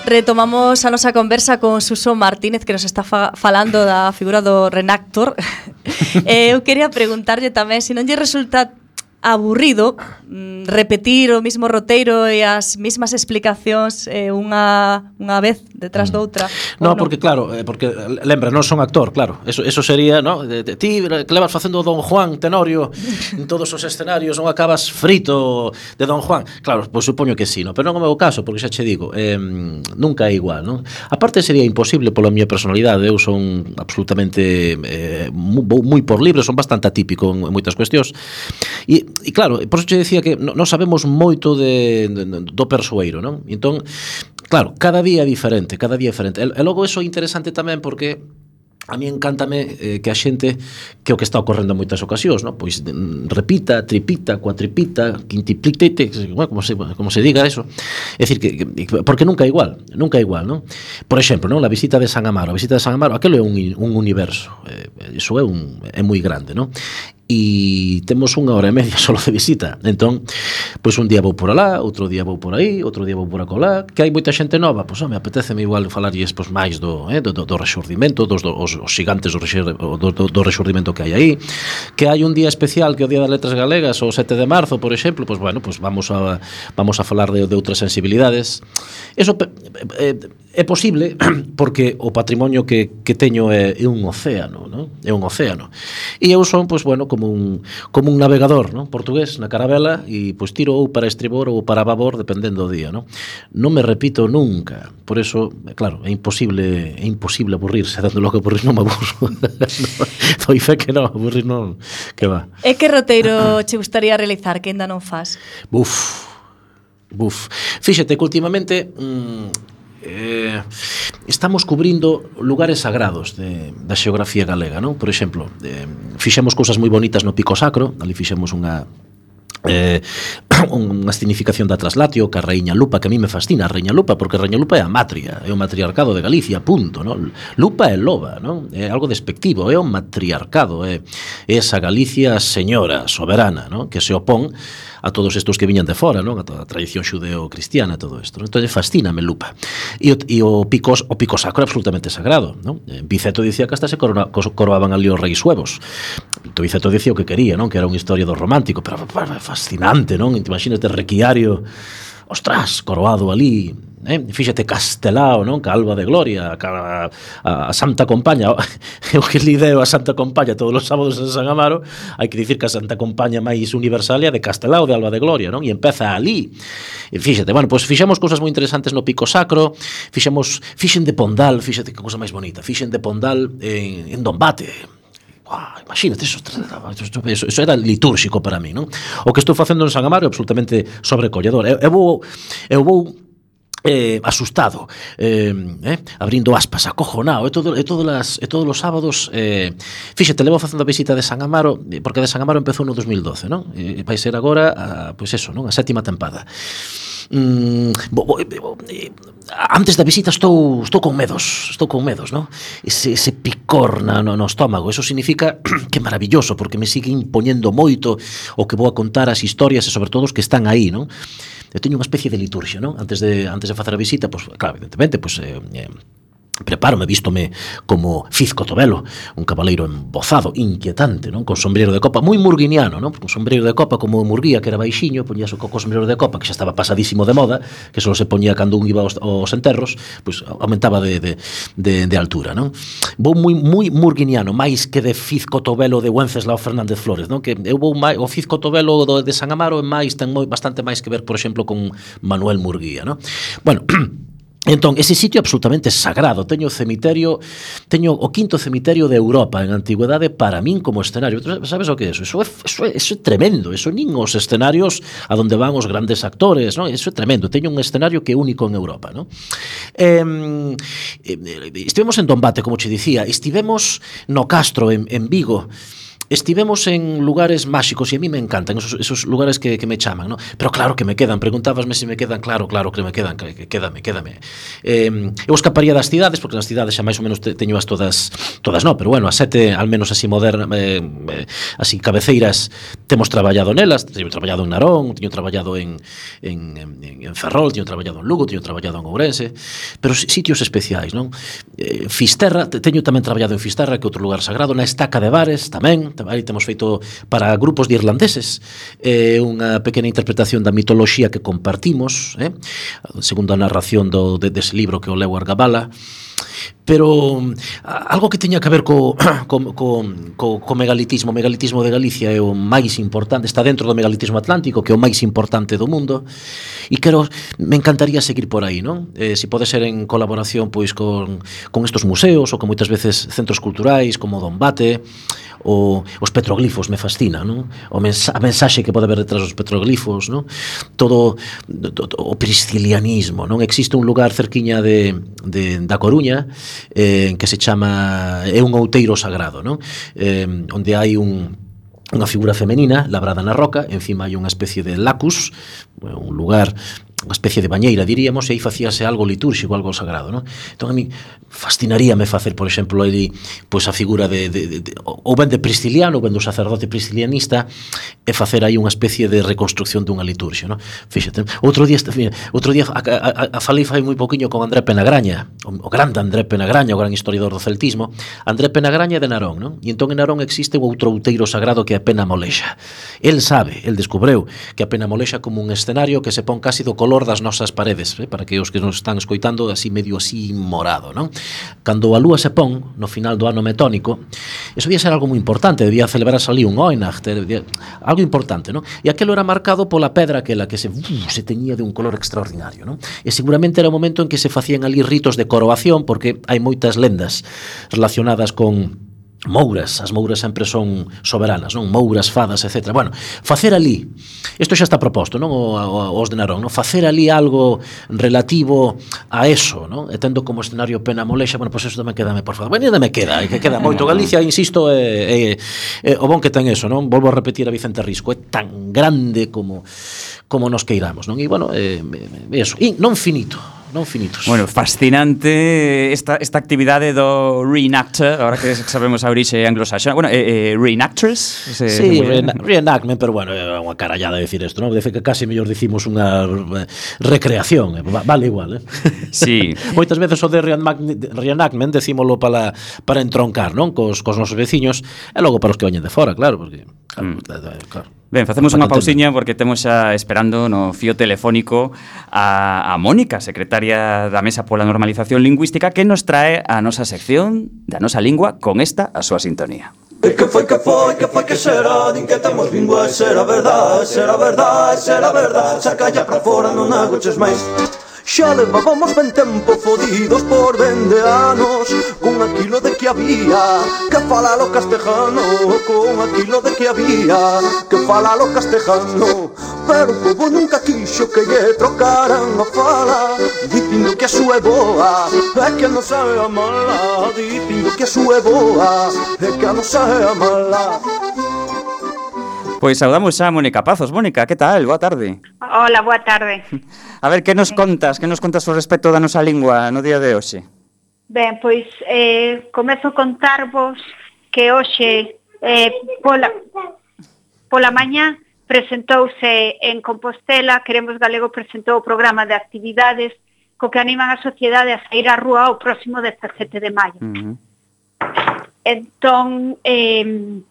Retomamos a nosa conversa con Suso Martínez, que nos está fa falando da figura do Renactor. eh, eu quería preguntarlle tamén se non lle resulta aburrido mm, repetir o mismo roteiro e as mesmas explicacións eh, unha, unha vez detrás mm. doutra. No, porque claro, eh, porque lembra, non son actor, claro. Eso eso sería, no, de, de, ti que levas facendo Don Juan Tenorio en todos os escenarios, non acabas frito de Don Juan. Claro, pois supoño que sí, no, pero non é o meu caso, porque xa che digo, eh, nunca é igual, non? Aparte sería imposible pola miña personalidade, eu son absolutamente eh, moi, moi por libre, son bastante atípico en, en moitas cuestións. E E claro, por eso che decía que non sabemos moito de, de, do persoeiro, non? Entón, claro, cada día é diferente, cada día é diferente. E, e logo eso é interesante tamén porque a mí encántame eh, que a xente, que o que está ocorrendo en moitas ocasións, no? Pois repita, tripita, cuatripita, quintiplitete, como se, como se diga eso. É dicir, que, que, porque nunca é igual, nunca é igual, non? Por exemplo, non? La visita de San Amaro, a visita de San Amaro, aquilo é un, un universo, eh, iso é, un, é moi grande, non? e temos unha hora e media solo de visita. Entón, pois un día vou por alá, outro día vou por aí, outro día vou por acolá, que hai moita xente nova, pois, home, apeteceme igual falarlles pois, máis do, eh, do, do, do rexurdimento, dos do, os, os gigantes do, rexur, do, do, do rexurdimento que hai aí, que hai un día especial que é o Día das Letras Galegas, o sete de marzo, por exemplo, pois, bueno, pois vamos a, vamos a falar de, de outras sensibilidades. Eso é, é posible porque o patrimonio que, que teño é, é un océano, ¿no? É un océano. E eu son, pois, bueno, como un, como un navegador, ¿no? Portugués na carabela e pois tiro ou para estribor ou para babor dependendo do día, ¿no? Non me repito nunca. Por eso, claro, é imposible é imposible aburrirse, dando lo que aburrir non me aburro. Foi fe que non, aburrir non, que va. E que roteiro che gustaría realizar que ainda non fas? Buf. Buf. Fíxate que últimamente mmm, Eh, estamos cubrindo lugares sagrados de, da xeografía galega, non? Por exemplo, eh, fixemos cousas moi bonitas no Pico Sacro, ali fixemos unha eh, unha significación da Traslatio, que a Raíña Lupa, que a mí me fascina a Raíña Lupa, porque a Raíña Lupa é a matria, é o matriarcado de Galicia, punto, non? Lupa é loba, non? É algo despectivo, é o matriarcado, é, é esa Galicia señora, soberana, non? Que se opón a todos estos que viñan de fora, non? A toda a tradición xudeo-cristiana, todo isto. Entón, fascíname Lupa. E o, e o, pico, o Pico Sacro é absolutamente sagrado, non? Biceto dicía que hasta se corona, coroaban ali os reis suevos. Biceto dicía o que quería, non? Que era unha historia do romántico, pero fascinante, non? Imagínate Requiario, ostras, coroado ali, eh? Fíxate Castelao, non? Que Alba de Gloria, a, a, a Santa Compaña, o que lideo a Santa Compaña todos os sábados en San Amaro, hai que dicir que a Santa Compaña máis universal é a de Castelao, de Alba de Gloria, non? E empeza ali. E fíxate, bueno, pois fixemos cousas moi interesantes no Pico Sacro, fixemos, fixen de Pondal, fíxate que cousa máis bonita, fixen de Pondal en, en Dombate. Wow, imagínate, eso, eso, eso era litúrxico para mí, non? O que estou facendo en San Amaro é absolutamente sobrecolledor. Eu, eu vou, eu vou eh, asustado, eh, eh, abrindo aspas, acojonado, e, todo, e, todas las, e todos os sábados, eh, fíxate, levo facendo a visita de San Amaro, porque de San Amaro empezou no dos mil doce, non? E vai ser agora, a, pois eso, non? A sétima tempada. Mm, bo, bo, bo, eh, antes da visita estou estou con medos, estou con medos, ¿no? Ese, ese picor na, no, no estómago, eso significa que é maravilloso, porque me sigue impoñendo moito o que vou a contar as historias e sobre todo os que están aí, ¿no? Eu teño unha especie de liturgia, ¿no? Antes de antes de facer a visita, pues claro, evidentemente, pues eh, eh, prepárome, vístome como Fizco Tobelo, un cabaleiro embozado, inquietante, non? Con sombreiro de copa, moi murguiniano, non? Un sombreiro de copa como Murguía, que era baixiño, poñías o coco sombreiro de copa, que xa estaba pasadísimo de moda, que só se poñía cando un iba aos, aos enterros, pois aumentaba de, de, de, de altura, non? Vou moi, moi murguiniano, máis que de Fizco Tobelo de Wenceslao Fernández Flores, non? Que eu vou máis, o Fizco Tobelo do, de San Amaro é máis, ten moi, bastante máis que ver, por exemplo, con Manuel Murguía, non? Bueno, entón, ese sitio é absolutamente sagrado. Teño o cemiterio, teño o quinto cemiterio de Europa en antigüedade para min como escenario. Sabes o que é eso? Eso é, eso é, eso é tremendo. Eso nin os escenarios a donde van os grandes actores, non? Eso é tremendo. Teño un escenario que é único en Europa, non? Eh, estivemos en Dombate, como che dicía, estivemos no Castro, en, en Vigo. Estivemos en lugares máxicos e a mí me encantan esos, esos lugares que, que me chaman, ¿no? Pero claro que me quedan, preguntábasme se me quedan, claro, claro que me quedan, que, que quédame, quédame. Eh, eu escaparía das cidades, porque nas cidades xa máis ou menos te, teño as todas, todas no, pero bueno, as sete, al menos así moderna, eh, eh, así cabeceiras, temos traballado nelas, teño traballado en Narón, teño traballado en, en, en, en Ferrol, teño traballado en Lugo, teño traballado en Ourense, pero sitios especiais, non? Eh, Fisterra, teño tamén traballado en Fisterra, que é outro lugar sagrado, na Estaca de Bares tamén. Aí temos feito para grupos de irlandeses eh, unha pequena interpretación da mitoloxía que compartimos, eh, segundo a narración do, de, dese libro que o leu Argabala. Pero algo que teña que ver co, co, co, co, co megalitismo. O megalitismo de Galicia é o máis importante, está dentro do megalitismo atlántico, que é o máis importante do mundo, e quero, me encantaría seguir por aí, non? Eh, se pode ser en colaboración pois con, con estos museos ou con moitas veces centros culturais como Dombate. O, os petroglifos me fascina, non? O mensa, a mensaxe que pode haber detrás dos petroglifos, non? Todo, todo o priscilianismo, non? Existe un lugar cerquiña de, de da Coruña eh, que se chama, é un outeiro sagrado, non? Eh, onde hai un unha figura femenina labrada na roca, encima hai unha especie de lacus, un lugar unha especie de bañeira, diríamos, e aí facíase algo litúrxico, algo sagrado, non? Entón a mí fascinaríame facer, por exemplo, aí, pois a figura de, de, de, de ou ben de Prisciliano, ou ben do sacerdote priscilianista, e facer aí unha especie de reconstrucción dunha liturxia, non? Fíxate, outro día, outro día a, a, a falei fai moi poquinho con André Penagraña, o, o grande André Penagraña, o gran historiador do celtismo. André Penagraña é de Narón, non? E entón en Narón existe un outro outeiro sagrado que é a Pena Molexa. El sabe, el descubreu que a Pena Molexa como un escenario que se pon casi do color das nosas paredes, eh? Para que os que nos están escoitando así medio así morado, non? Cando a lúa se pon no final do ano metónico, eso debía ser algo moi importante, debía celebrarse ali un Oinach, debía, algo importante, non? E aquelo era marcado pola pedra aquela que se, uh, se teñía de un color extraordinario, non? E seguramente era o momento en que se facían ali ritos de coroación, porque hai moitas lendas relacionadas con mouras, as mouras sempre son soberanas, non? Mouras, fadas, etcétera. Bueno, facer ali, isto xa está proposto, non? O, o, os de Narón, non? Facer ali algo relativo a eso, non? E tendo como escenario Pena Molexa, bueno, pois pues eso tamén quedame, por favor. Bueno, ainda me queda, que queda moito. Galicia, insisto, é, é, é o bon que ten eso, non? Volvo a repetir a Vicente Risco, é tan grande como como nos queiramos, non? E, bueno, é, é eso. E non finito, non finitos. Bueno, fascinante esta, esta actividade do reenactor, agora que sabemos a orixe anglosaxona. Bueno, eh, eh, reenactress? Se, sí, se reena, reenactment, pero bueno, é unha carallada decir isto, non? Dice que casi mellor dicimos unha recreación, vale igual, eh? Sí. Moitas veces o de reenactment decímolo para, para entroncar, non? Cos, cos nosos veciños, e logo para os que veñen de fora, claro, porque... Claro, mm. claro. Ben, facemos unha pausiña porque temos xa esperando no fío telefónico a, a Mónica, secretaria da Mesa pola Normalización Lingüística, que nos trae a nosa sección da nosa lingua con esta a súa sintonía. E que foi, que foi, que foi, que será? Din que temos lingua, será verdade, será verdade, será verdade. Saca ya pra fora, non agoches máis. Xa levábamos ben tempo fodidos por vende anos, con aquilo de que había que falar o castejano, con aquilo de que había que falar o castejano. Pero o povo nunca quixo que lle trocaran a fala, dicindo que a súa é boa, é que a nosa é a mala, dicindo que a súa é boa, é que a nosa é a mala. Pois saudamos xa a Mónica Pazos. Mónica, que tal? Boa tarde. Hola, boa tarde. A ver, que nos contas? Que nos contas ao respecto da nosa lingua no día de hoxe? Ben, pois eh, comezo a contarvos que hoxe eh, pola, pola mañá presentouse en Compostela, Queremos Galego presentou o programa de actividades co que animan a sociedade a sair á rúa o próximo dezasete de maio. Uh-huh. Entón, eh,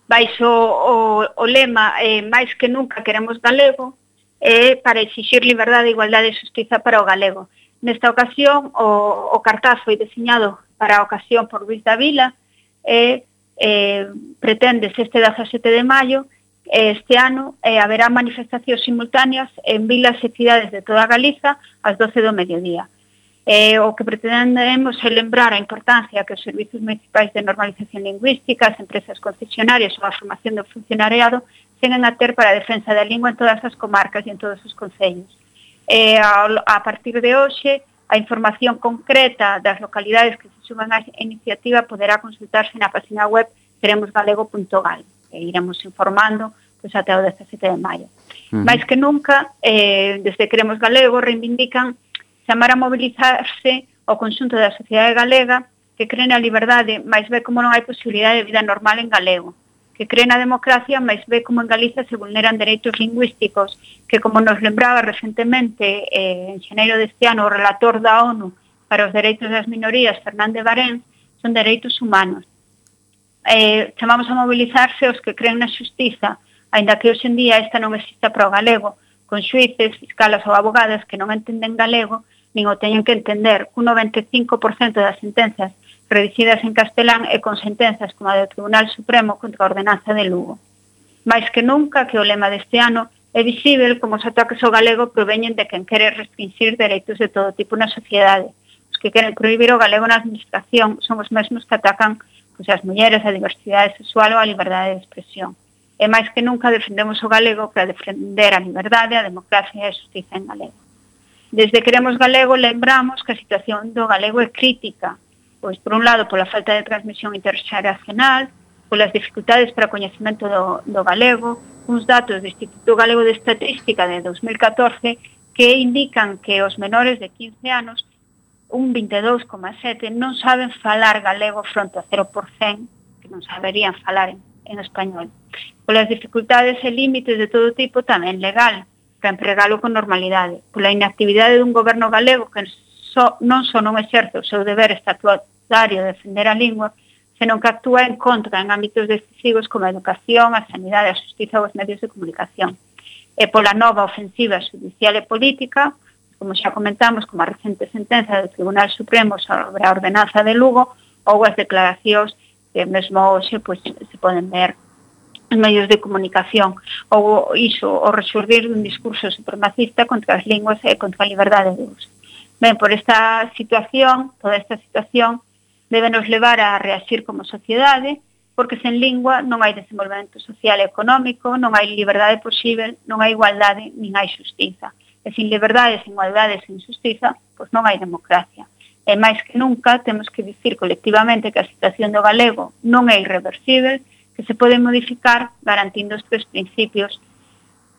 baixo o, o lema eh, máis que nunca queremos galego, eh, para exixir liberdade, igualdade e xustiza para o galego. Nesta ocasión, o, o cartaz foi diseñado para a ocasión por Luis Davila e eh, preténdese este dezasete de maio. Este ano eh, haberá manifestacións simultáneas en vilas e cidades de toda Galiza ás doce do mediodía. Eh, o que pretendemos é lembrar a importancia que os servizos municipais de normalización lingüística, as empresas concesionarias ou a formación do funcionariado teñen a ter para a defensa da lingua en todas as comarcas e en todos os concellos. Eh, a, a partir de hoxe, a información concreta das localidades que se suman á iniciativa poderá consultarse na página web queremos galego punto gal, e iremos informando pois, até o dezasete de maio. Uh-huh. Mais que nunca, eh, desde Queremos Galego reivindican chamar a mobilizarse o conxunto da sociedade galega que cree na liberdade, mais ve como non hai posibilidade de vida normal en galego, que cree na democracia, mais ve como en Galiza se vulneran dereitos lingüísticos, que como nos lembraba recentemente eh, en xaneiro deste ano o relator da ONU para os dereitos das minorías, Fernández Barén, son dereitos humanos. Eh, chamamos a mobilizarse os que creen na xustiza, aínda que hoxe en día esta non exista para o galego, con xuíces, fiscalas ou abogadas que non entenden galego, nin o teñen que entender, cun noventa e cinco por cento das sentenzas redicidas en castelán e con sentenzas como a do Tribunal Supremo contra a ordenanza de Lugo. Mais que nunca que o lema deste ano é visível como os ataques ao galego proveñen de quen quere restringir dereitos de todo tipo na sociedade. Os que queren prohibir o galego na administración son os mesmos que atacan pois, as mulleres, a diversidade sexual ou a liberdade de expresión. E máis que nunca defendemos o galego para defender a liberdade, a democracia e a justiza en galego. Desde Queremos Galego lembramos que a situación do galego é crítica, pois por un lado pola falta de transmisión interxeracional, polas dificultades para o coñecemento do, do galego, uns datos do Instituto Galego de Estatística de dos mil catorce que indican que os menores de quince anos, un vinte e dous coma sete, non saben falar galego fronte a cero por cento que non saberían falar en, en español. Polas dificultades e límites de todo tipo, tamén legal, para empregalo con normalidade. Pola inactividade dun goberno galego que so, non só non exerce o seu deber estatutario de defender a lingua, senón que actúa en contra en ámbitos decisivos como a educación, a sanidade, a xustiza ou os medios de comunicación. E pola nova ofensiva judicial e política, como xa comentamos, como a recente sentenza do Tribunal Supremo sobre a ordenanza de Lugo, ou as declaracións que mesmo hoxe pues, se poden ver en medios de comunicación, ou iso, o resurgir dun discurso supremacista contra as linguas e contra a liberdade de uso. Ben, por esta situación, toda esta situación, debe nos levar a reagir como sociedade, porque sen lingua non hai desenvolvemento social e económico, non hai liberdade posible, non hai igualdade, nin hai xustiza. E sin liberdade, sin igualdade, sin xustiza, pois non hai democracia. E máis que nunca temos que dicir colectivamente que a situación do galego non é irreversible, que se pode modificar garantindo os tres principios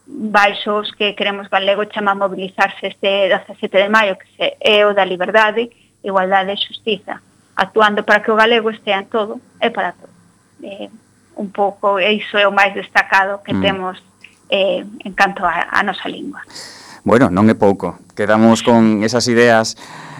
baixos que queremos galego chama a mobilizarse este dezasete de maio, que se, é o da liberdade, igualdade e xustiza, actuando para que o galego estea en todo e para todo. Eh, un pouco, iso é o máis destacado que mm. temos eh, en canto a, a nosa lingua. Bueno, non é pouco. Quedamos con esas ideas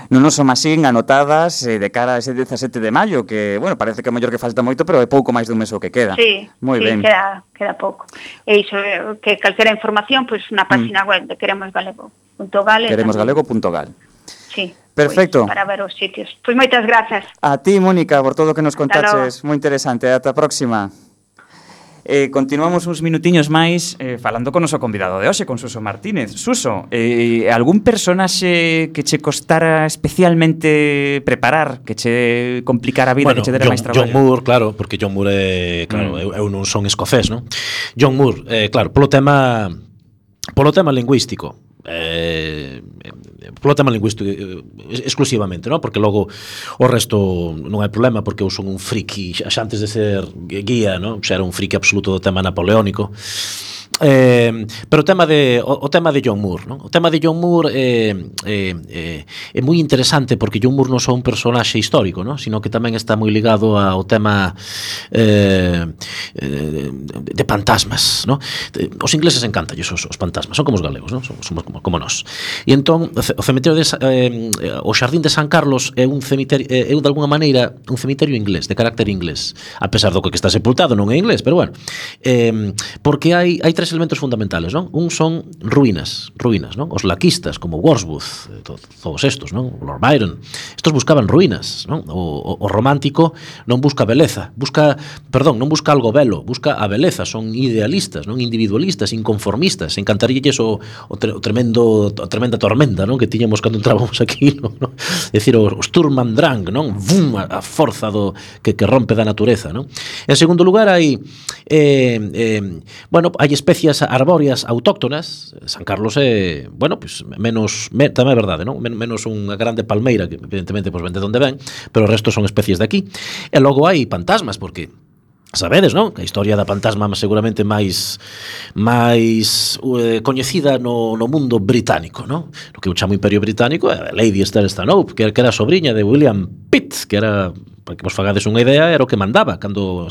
non nos son así anotadas eh, de cara a ese dezasete de maio, que, bueno, parece que é mellor que falta moito, pero é pouco máis dun mes o que queda. Sí, moi sí, ben. Queda, queda pouco. E iso, que calquera información, pois, pues, na página mm. web de queremosgalego punto gal. queremosgalego punto gal. Sí. Perfecto. Pois, para ver os sitios. Pois moitas grazas. A ti, Mónica, por todo o que nos contaches. Moi interesante. Ata a próxima. Eh, continuamos uns minutiños máis eh, falando con o noso convidado de hoxe, con Suso Martínez. Suso, eh, algún personaxe que che costara especialmente preparar, que che complicara a vida, bueno, que che dera John, máis traballo? John Moore, claro, porque John Moore é, claro, mm. eu, eu non son escocés, non? John Moore, eh, claro, polo tema polo tema lingüístico, eh, polo tema lingüístico exclusivamente, non? Porque logo o resto non hai problema, porque eu son un friki xa antes de ser guía, non? Xa era un friki absoluto do tema napoleónico. Eh, pero o tema de o, o tema de John Moore, non? O tema de John Moore é eh, eh, é moi interesante, porque John Moore non só un personaxe histórico, non? Sino que tamén está moi ligado ao tema eh, eh, de fantasmas, non? Os ingleses encantan os, os fantasmas, son como os galegos, non? Somos, somos como, como nós. E entón o cemiterio de eh, o Xardín de San Carlos é un cemiterio, é de alguna maneira un cemiterio inglés, de carácter inglés, a pesar do que está sepultado non é inglés, pero bueno, eh, porque hai hai tres elementos fundamentales, non? Un son ruínas, ruínas, non? Os laquistas como Wordsworth, to, todos estos, non? Lord Byron, estos buscaban ruínas, non? O, o, o romántico non busca beleza, busca, perdón, non busca algo belo, busca a beleza, son idealistas, non? Individualistas, inconformistas, encantaríalles o, o, tre, o tremendo a tremenda tormenta, non? Que tiñamos cando entrábamos aquí, non? É dicir, o, o Sturm und Drang, non? Vum, a, a forza do que, que rompe da natureza, non? En segundo lugar hai eh, eh, bueno, hai especies arbóreas autóctonas. San Carlos é, bueno, pues menos, me, tamén é verdade, non? Men, menos unha grande palmeira que evidentemente pues vende donde ven, pero o resto son especies de aquí. E logo hai fantasmas, porque sabedes, non? A historia da fantasma seguramente máis máis eh, coñecida no, no mundo británico, non? No que eu chamo Imperio Británico é Lady Esther Stanhope, que era a sobrinha de William Pitt, que era, para que vos fagades unha idea, era o que mandaba cando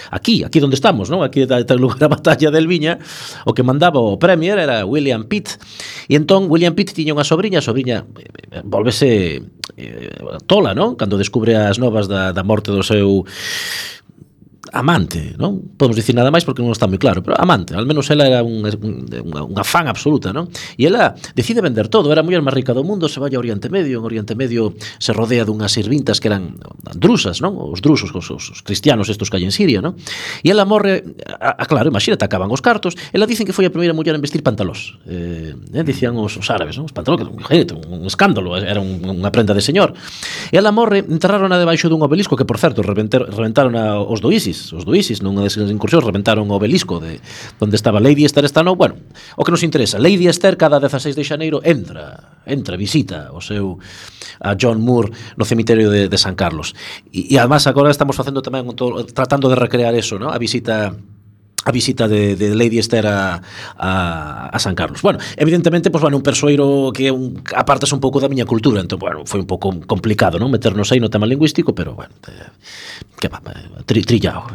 aquí, aquí onde estamos, non? Aquí está o lugar da batalla del Viña, o que mandaba o premier era William Pitt. E entón William Pitt tiña unha sobrinha, a sobrinha eh, volvese eh, tola, non? Cando descubre as novas da, da morte do seu amante, non? Podemos dicir nada máis porque non está moi claro, pero amante, al menos ela era un, unha, unha fan absoluta, non? E ela decide vender todo, era a muller máis rica do mundo, se vai ao Oriente Medio, en Oriente Medio se rodea dunhas sirvintas que eran drusas, non? Os drusos, os, os cristianos estos que hai en Siria, non? E ela morre, a, a claro, imagínate, acaban os cartos, ela dicen que foi a primeira muller en vestir pantalós, eh, eh, dicían os, os árabes, non? Os pantalós, que un, un escándalo, era un, unha prenda de señor. E ela morre, enterraron debaixo dun obelisco que, por certo, reventaron a, os do ISIS, os do ISIS, nunha desas incursións reventaron o obelisco de onde estaba Lady Esther Stanhope. Bueno, o que nos interesa, Lady Esther cada dezaseis de xaneiro entra, entra, visita o seu a John Moore no cemiterio de, de San Carlos. E, e además agora estamos facendo tamén todo, tratando de recrear eso, ¿no? A visita a visita de, de Lady Esther a, a, a San Carlos. Bueno, evidentemente, pues, bueno, un persoeiro que un, apartas un pouco da miña cultura, entón, bueno, foi un pouco complicado, non, meternos aí no tema lingüístico, pero, bueno, eh, que va, tri, trillao.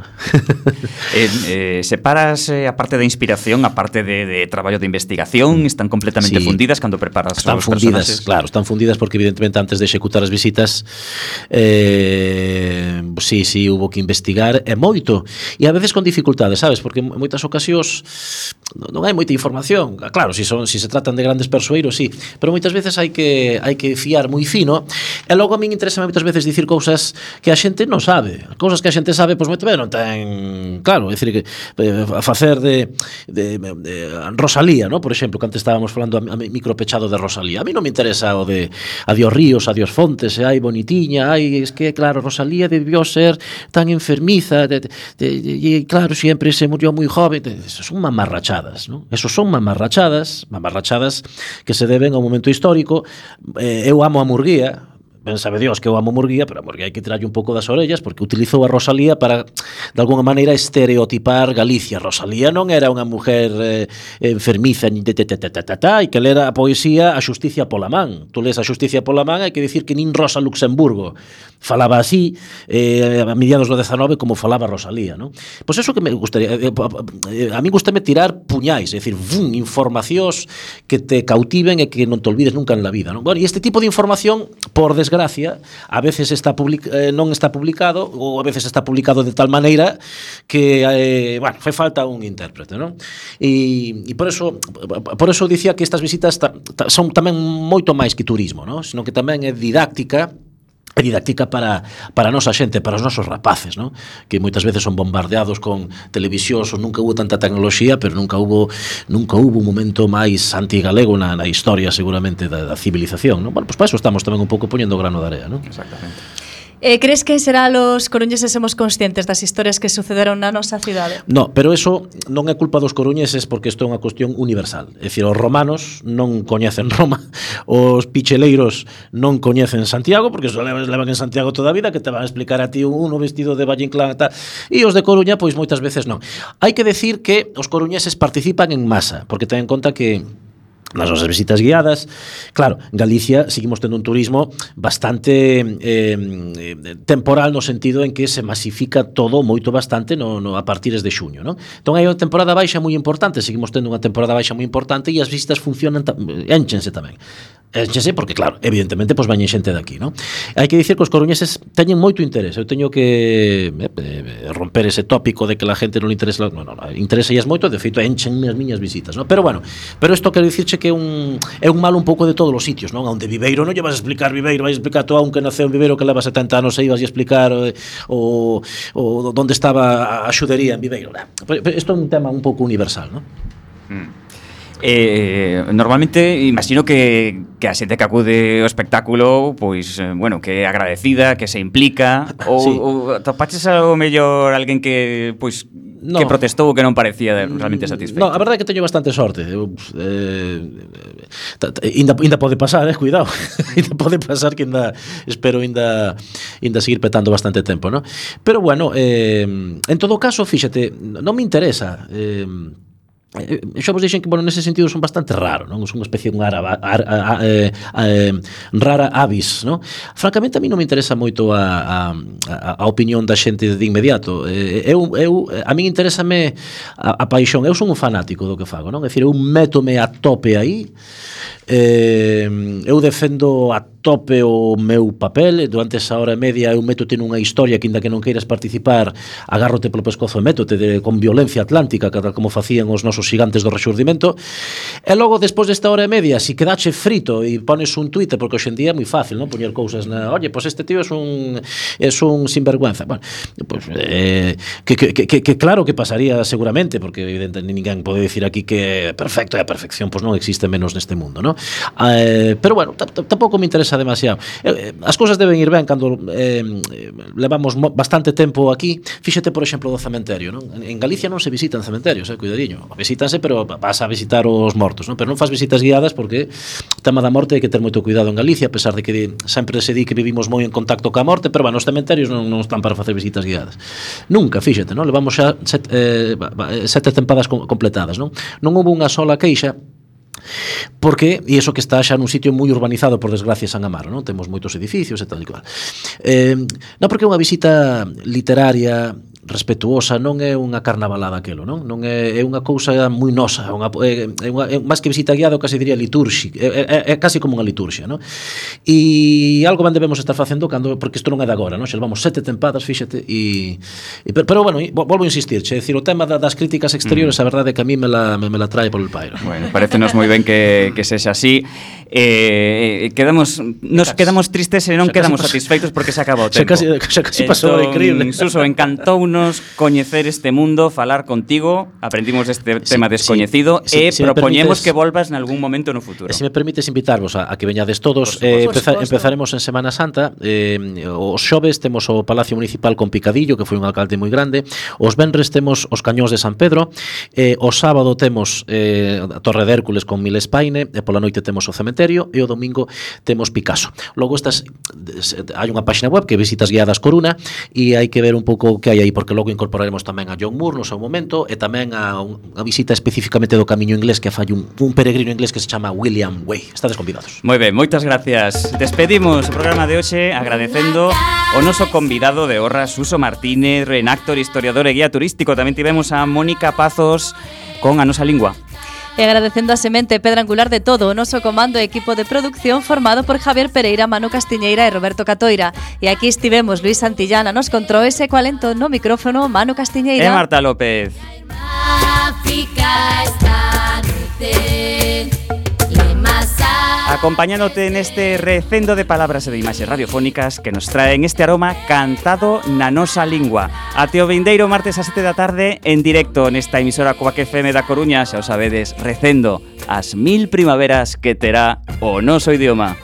eh, eh, separas eh, a parte da inspiración, a parte de, de traballo de investigación, están completamente sí, fundidas cando preparas están os fundidas, personaxes? claro, están fundidas porque evidentemente antes de executar as visitas eh, sí, sí, hubo que investigar e moito, e a veces con dificultades, sabes, porque en moitas ocasións non hai moita información. Claro, si son si se tratan de grandes persoeiros, sí, pero moitas veces hai que hai que fiar moi fino, e logo a min interesa moitas veces dicir cousas que a xente non sabe, cousas que a xente sabe, pois moito ben non ten, claro, é dicir que eh, facer de, de, de Rosalía, ¿no? Por exemplo, que antes estábamos falando a, a micropechado de Rosalía. A mí non me interesa o de Adiós ríos, adiós fontes, e hai bonitiña, hai, es que claro, Rosalía debió ser tan enfermiza, de, de, de, e claro, sempre se murió moi joven. Eso son mamarrachadas, ¿no? Eso son mamarrachadas, mamarrachadas que se deben ao momento histórico. Eh, eu amo a Murguía, ben sabe Dios que eu amo Murguía, pero a Murguía hai que tirarlle un pouco das orellas porque utilizou a Rosalía para, de alguna maneira, estereotipar Galicia. Rosalía non era unha mujer eh, enfermiza e que lera a poesía A xusticia pola man. Tu lees A xusticia pola man, hai que dicir que nin Rosa Luxemburgo falaba así eh, a mediados do dezanove como falaba Rosalía, ¿no? Pois eso que me gustaría, eh, a mí gustame tirar puñais, é dicir, vum, informacións que te cautiven e que non te olvides nunca en la vida, ¿no? Bueno, e este tipo de información, por desgracia, gracia, a veces está public, eh, non está publicado ou a veces está publicado de tal maneira que eh, bueno, fai falta un intérprete, non? E, e por eso por eso dicía que estas visitas ta, ta, son tamén moito máis que turismo, non? Sino que tamén é didáctica. É didáctica para, para a nosa xente, para os nosos rapaces, ¿no? Que moitas veces son bombardeados con televisións, ou nunca hubo tanta tecnoloxía, pero nunca hubo nunca hubo un momento máis antigalego na, na historia, seguramente, da, da civilización, ¿no? Bueno, pues para eso estamos tamén un pouco poñendo grano de area, ¿no? Exactamente. Eh, crees que será los coruñeses somos conscientes das historias que sucederon na nosa cidade? No, pero eso non é culpa dos coruñeses porque isto é unha cuestión universal. É dicir, os romanos non coñecen Roma, os picheleiros non coñecen Santiago porque só levan en Santiago toda a vida, que te van a explicar a ti uno vestido de Valle Inclán e tal. E os de Coruña, pois moitas veces non. Hai que decir que os coruñeses participan en masa, porque ten en conta que nas nosas visitas guiadas, claro, Galicia seguimos tendo un turismo bastante eh, temporal no sentido en que se masifica todo moito bastante no, no, a partires de xuño, non? Entón hai unha temporada baixa moi importante, seguimos tendo unha temporada baixa moi importante e as visitas funcionan, énchense tamén. Énchense porque, claro, evidentemente, pois vañen xente daqui, non? Hai que dicir que os coruñeses teñen moito interés. Eu teño que eh, romper ese tópico de que la gente non le interesa, non, non, interesa ellas moito, de feito enchenme as miñas visitas, non? Pero bueno, pero isto quero dicirche que é un, é un mal un pouco de todos os sitios, non? Onde Viveiro non lle vas a explicar Viveiro, vais a explicar tú a un que naceu en Viveiro que leva setenta anos e ibas a explicar o, o, o onde estaba a xudería en Viveiro. Isto é un tema un pouco universal, non? Mm. Eh, normalmente imagino que, que a xente que acude ao espectáculo, pois, eh, bueno, que é agradecida, que se implica, ou, sí. ou topaches ao mellor alguén que, pois, no. que protestou ou que non parecía realmente satisfeito? No, a verdade é que teño bastante sorte. Eu, eh, inda, inda pode pasar, eh, cuidado. Inda pode pasar que inda, espero inda, inda seguir petando bastante tempo, ¿no? Pero bueno, eh, en todo caso, fíxate, non me interesa. Eh, xa vos dixen que, bueno, nese sentido son bastante raro, non? Son unha especie de unha ara, ar, a, a, a, rara avis, non? Francamente, a mí non me interesa moito a, a, a opinión da xente de inmediato. Eu, eu, a mí interésame a, a paixón. Eu son un fanático do que fago, non? É dicir, eu métome a tope aí, eh, eu defendo a tope o meu papel, durante esa hora e media eu métote nunha historia que, inda que non queiras participar, agárrote polo pescozo e métote de, con violencia atlántica, tal como facían os nosos gigantes do Rexurdimento. E logo, despois desta hora e media, si quedache frito e pones un Twitter, porque hoxe en día é moi fácil, non? Poñer cousas na, oye, pois este tío é un é un sinvergüenza. Bueno, pois eh, que, que, que, que claro que pasaría seguramente, porque evidentemente ninguén pode dicir aquí que é perfecto e a perfección pois non existe menos neste mundo, non? Eh, pero bueno, tampouco me interesa pensa demasiado. Eh, as cousas deben ir ben cando eh, levamos bastante tempo aquí. Fíxate, por exemplo, do cementerio, non? En Galicia non se visitan cementerios, eh, cuidadiño. Visítanse, pero vas a visitar os mortos, non? Pero non faz visitas guiadas porque o tema da morte hai que ter moito cuidado en Galicia, a pesar de que sempre se di que vivimos moi en contacto coa morte, pero bueno, os cementerios non, non están para facer visitas guiadas. Nunca, fíxate, non? Levamos xa sete, eh, sete tempadas completadas, non? Non houve unha sola queixa. Porque, e iso que está xa nun sitio moi urbanizado, por desgracia, San Amaro, non? Temos moitos edificios e tal e cual. Eh, non porque é unha visita literaria respetuosa, non é unha carnavalada aquelo, non? Non é, é unha cousa moi nosa, unha, é, é unha, é, máis que visita guiada, casi diría litúrxica, é, é, é casi como unha liturxia, non? E algo ben debemos estar facendo cando, porque isto non é de agora, non? Xa levamos sete tempadas, fíxate, e, e pero, pero bueno, volvo a insistir, che, decir, o tema da, das críticas exteriores, mm. a verdade é que a mí me la, me, me la trae polo pairo. Bueno, parecenos moi ben que, que sexa así. Eh, quedamos nos quedamos tristes e non quedamos satisfeitos porque se acabou o tempo. Xa casi, xa casi pasou, entón, increíble. Suso, encantounos coñecer este mundo, falar contigo, aprendimos este sí, tema descoñecido sí, sí, e si propoñemos que volvas en algún momento no futuro. E se me permites invitarvos a, a que veñades todos, eh, empeza, empezaremos en Semana Santa, eh, os xoves temos o Palacio Municipal con Picadillo, que foi un alcalde moi grande, os venres temos os Cañóns de San Pedro, eh, o sábado temos eh, a Torre de Hércules con Milespaine, e pola noite temos o Cementerio, e o domingo temos Picasso. Logo estas hai unha páxina web que visitas guiadas Coruna e hai que ver un pouco o que hai aí, porque logo incorporaremos tamén a John Moore no seu momento e tamén a unha visita especificamente do camiño inglés que fai un, un peregrino inglés que se chama William Way. Estades convidados. Moi ben, moitas gracias. Despedimos o programa de hoxe agradecendo o noso convidado de honra, Suso Martínez, reenactor, historiador e guía turístico. Tamén tivemos a Mónica Pazos con A Nosa Lingua. E agradecendo a semente pedra angular de todo o noso comando e equipo de producción formado por Javier Pereira, Manu Castiñeira e Roberto Catoira. E aquí estivemos Luis Santillana nos controles e coalento no micrófono Manu Castiñeira e Marta López. Acompañándote neste recendo de palabras e de imaxes radiofónicas que nos traen este aroma cantado na nosa lingua. Até o vindeiro martes a sete da tarde en directo nesta emisora Coac F M da Coruña, xa o sabedes, recendo as mil primaveras que terá o noso idioma.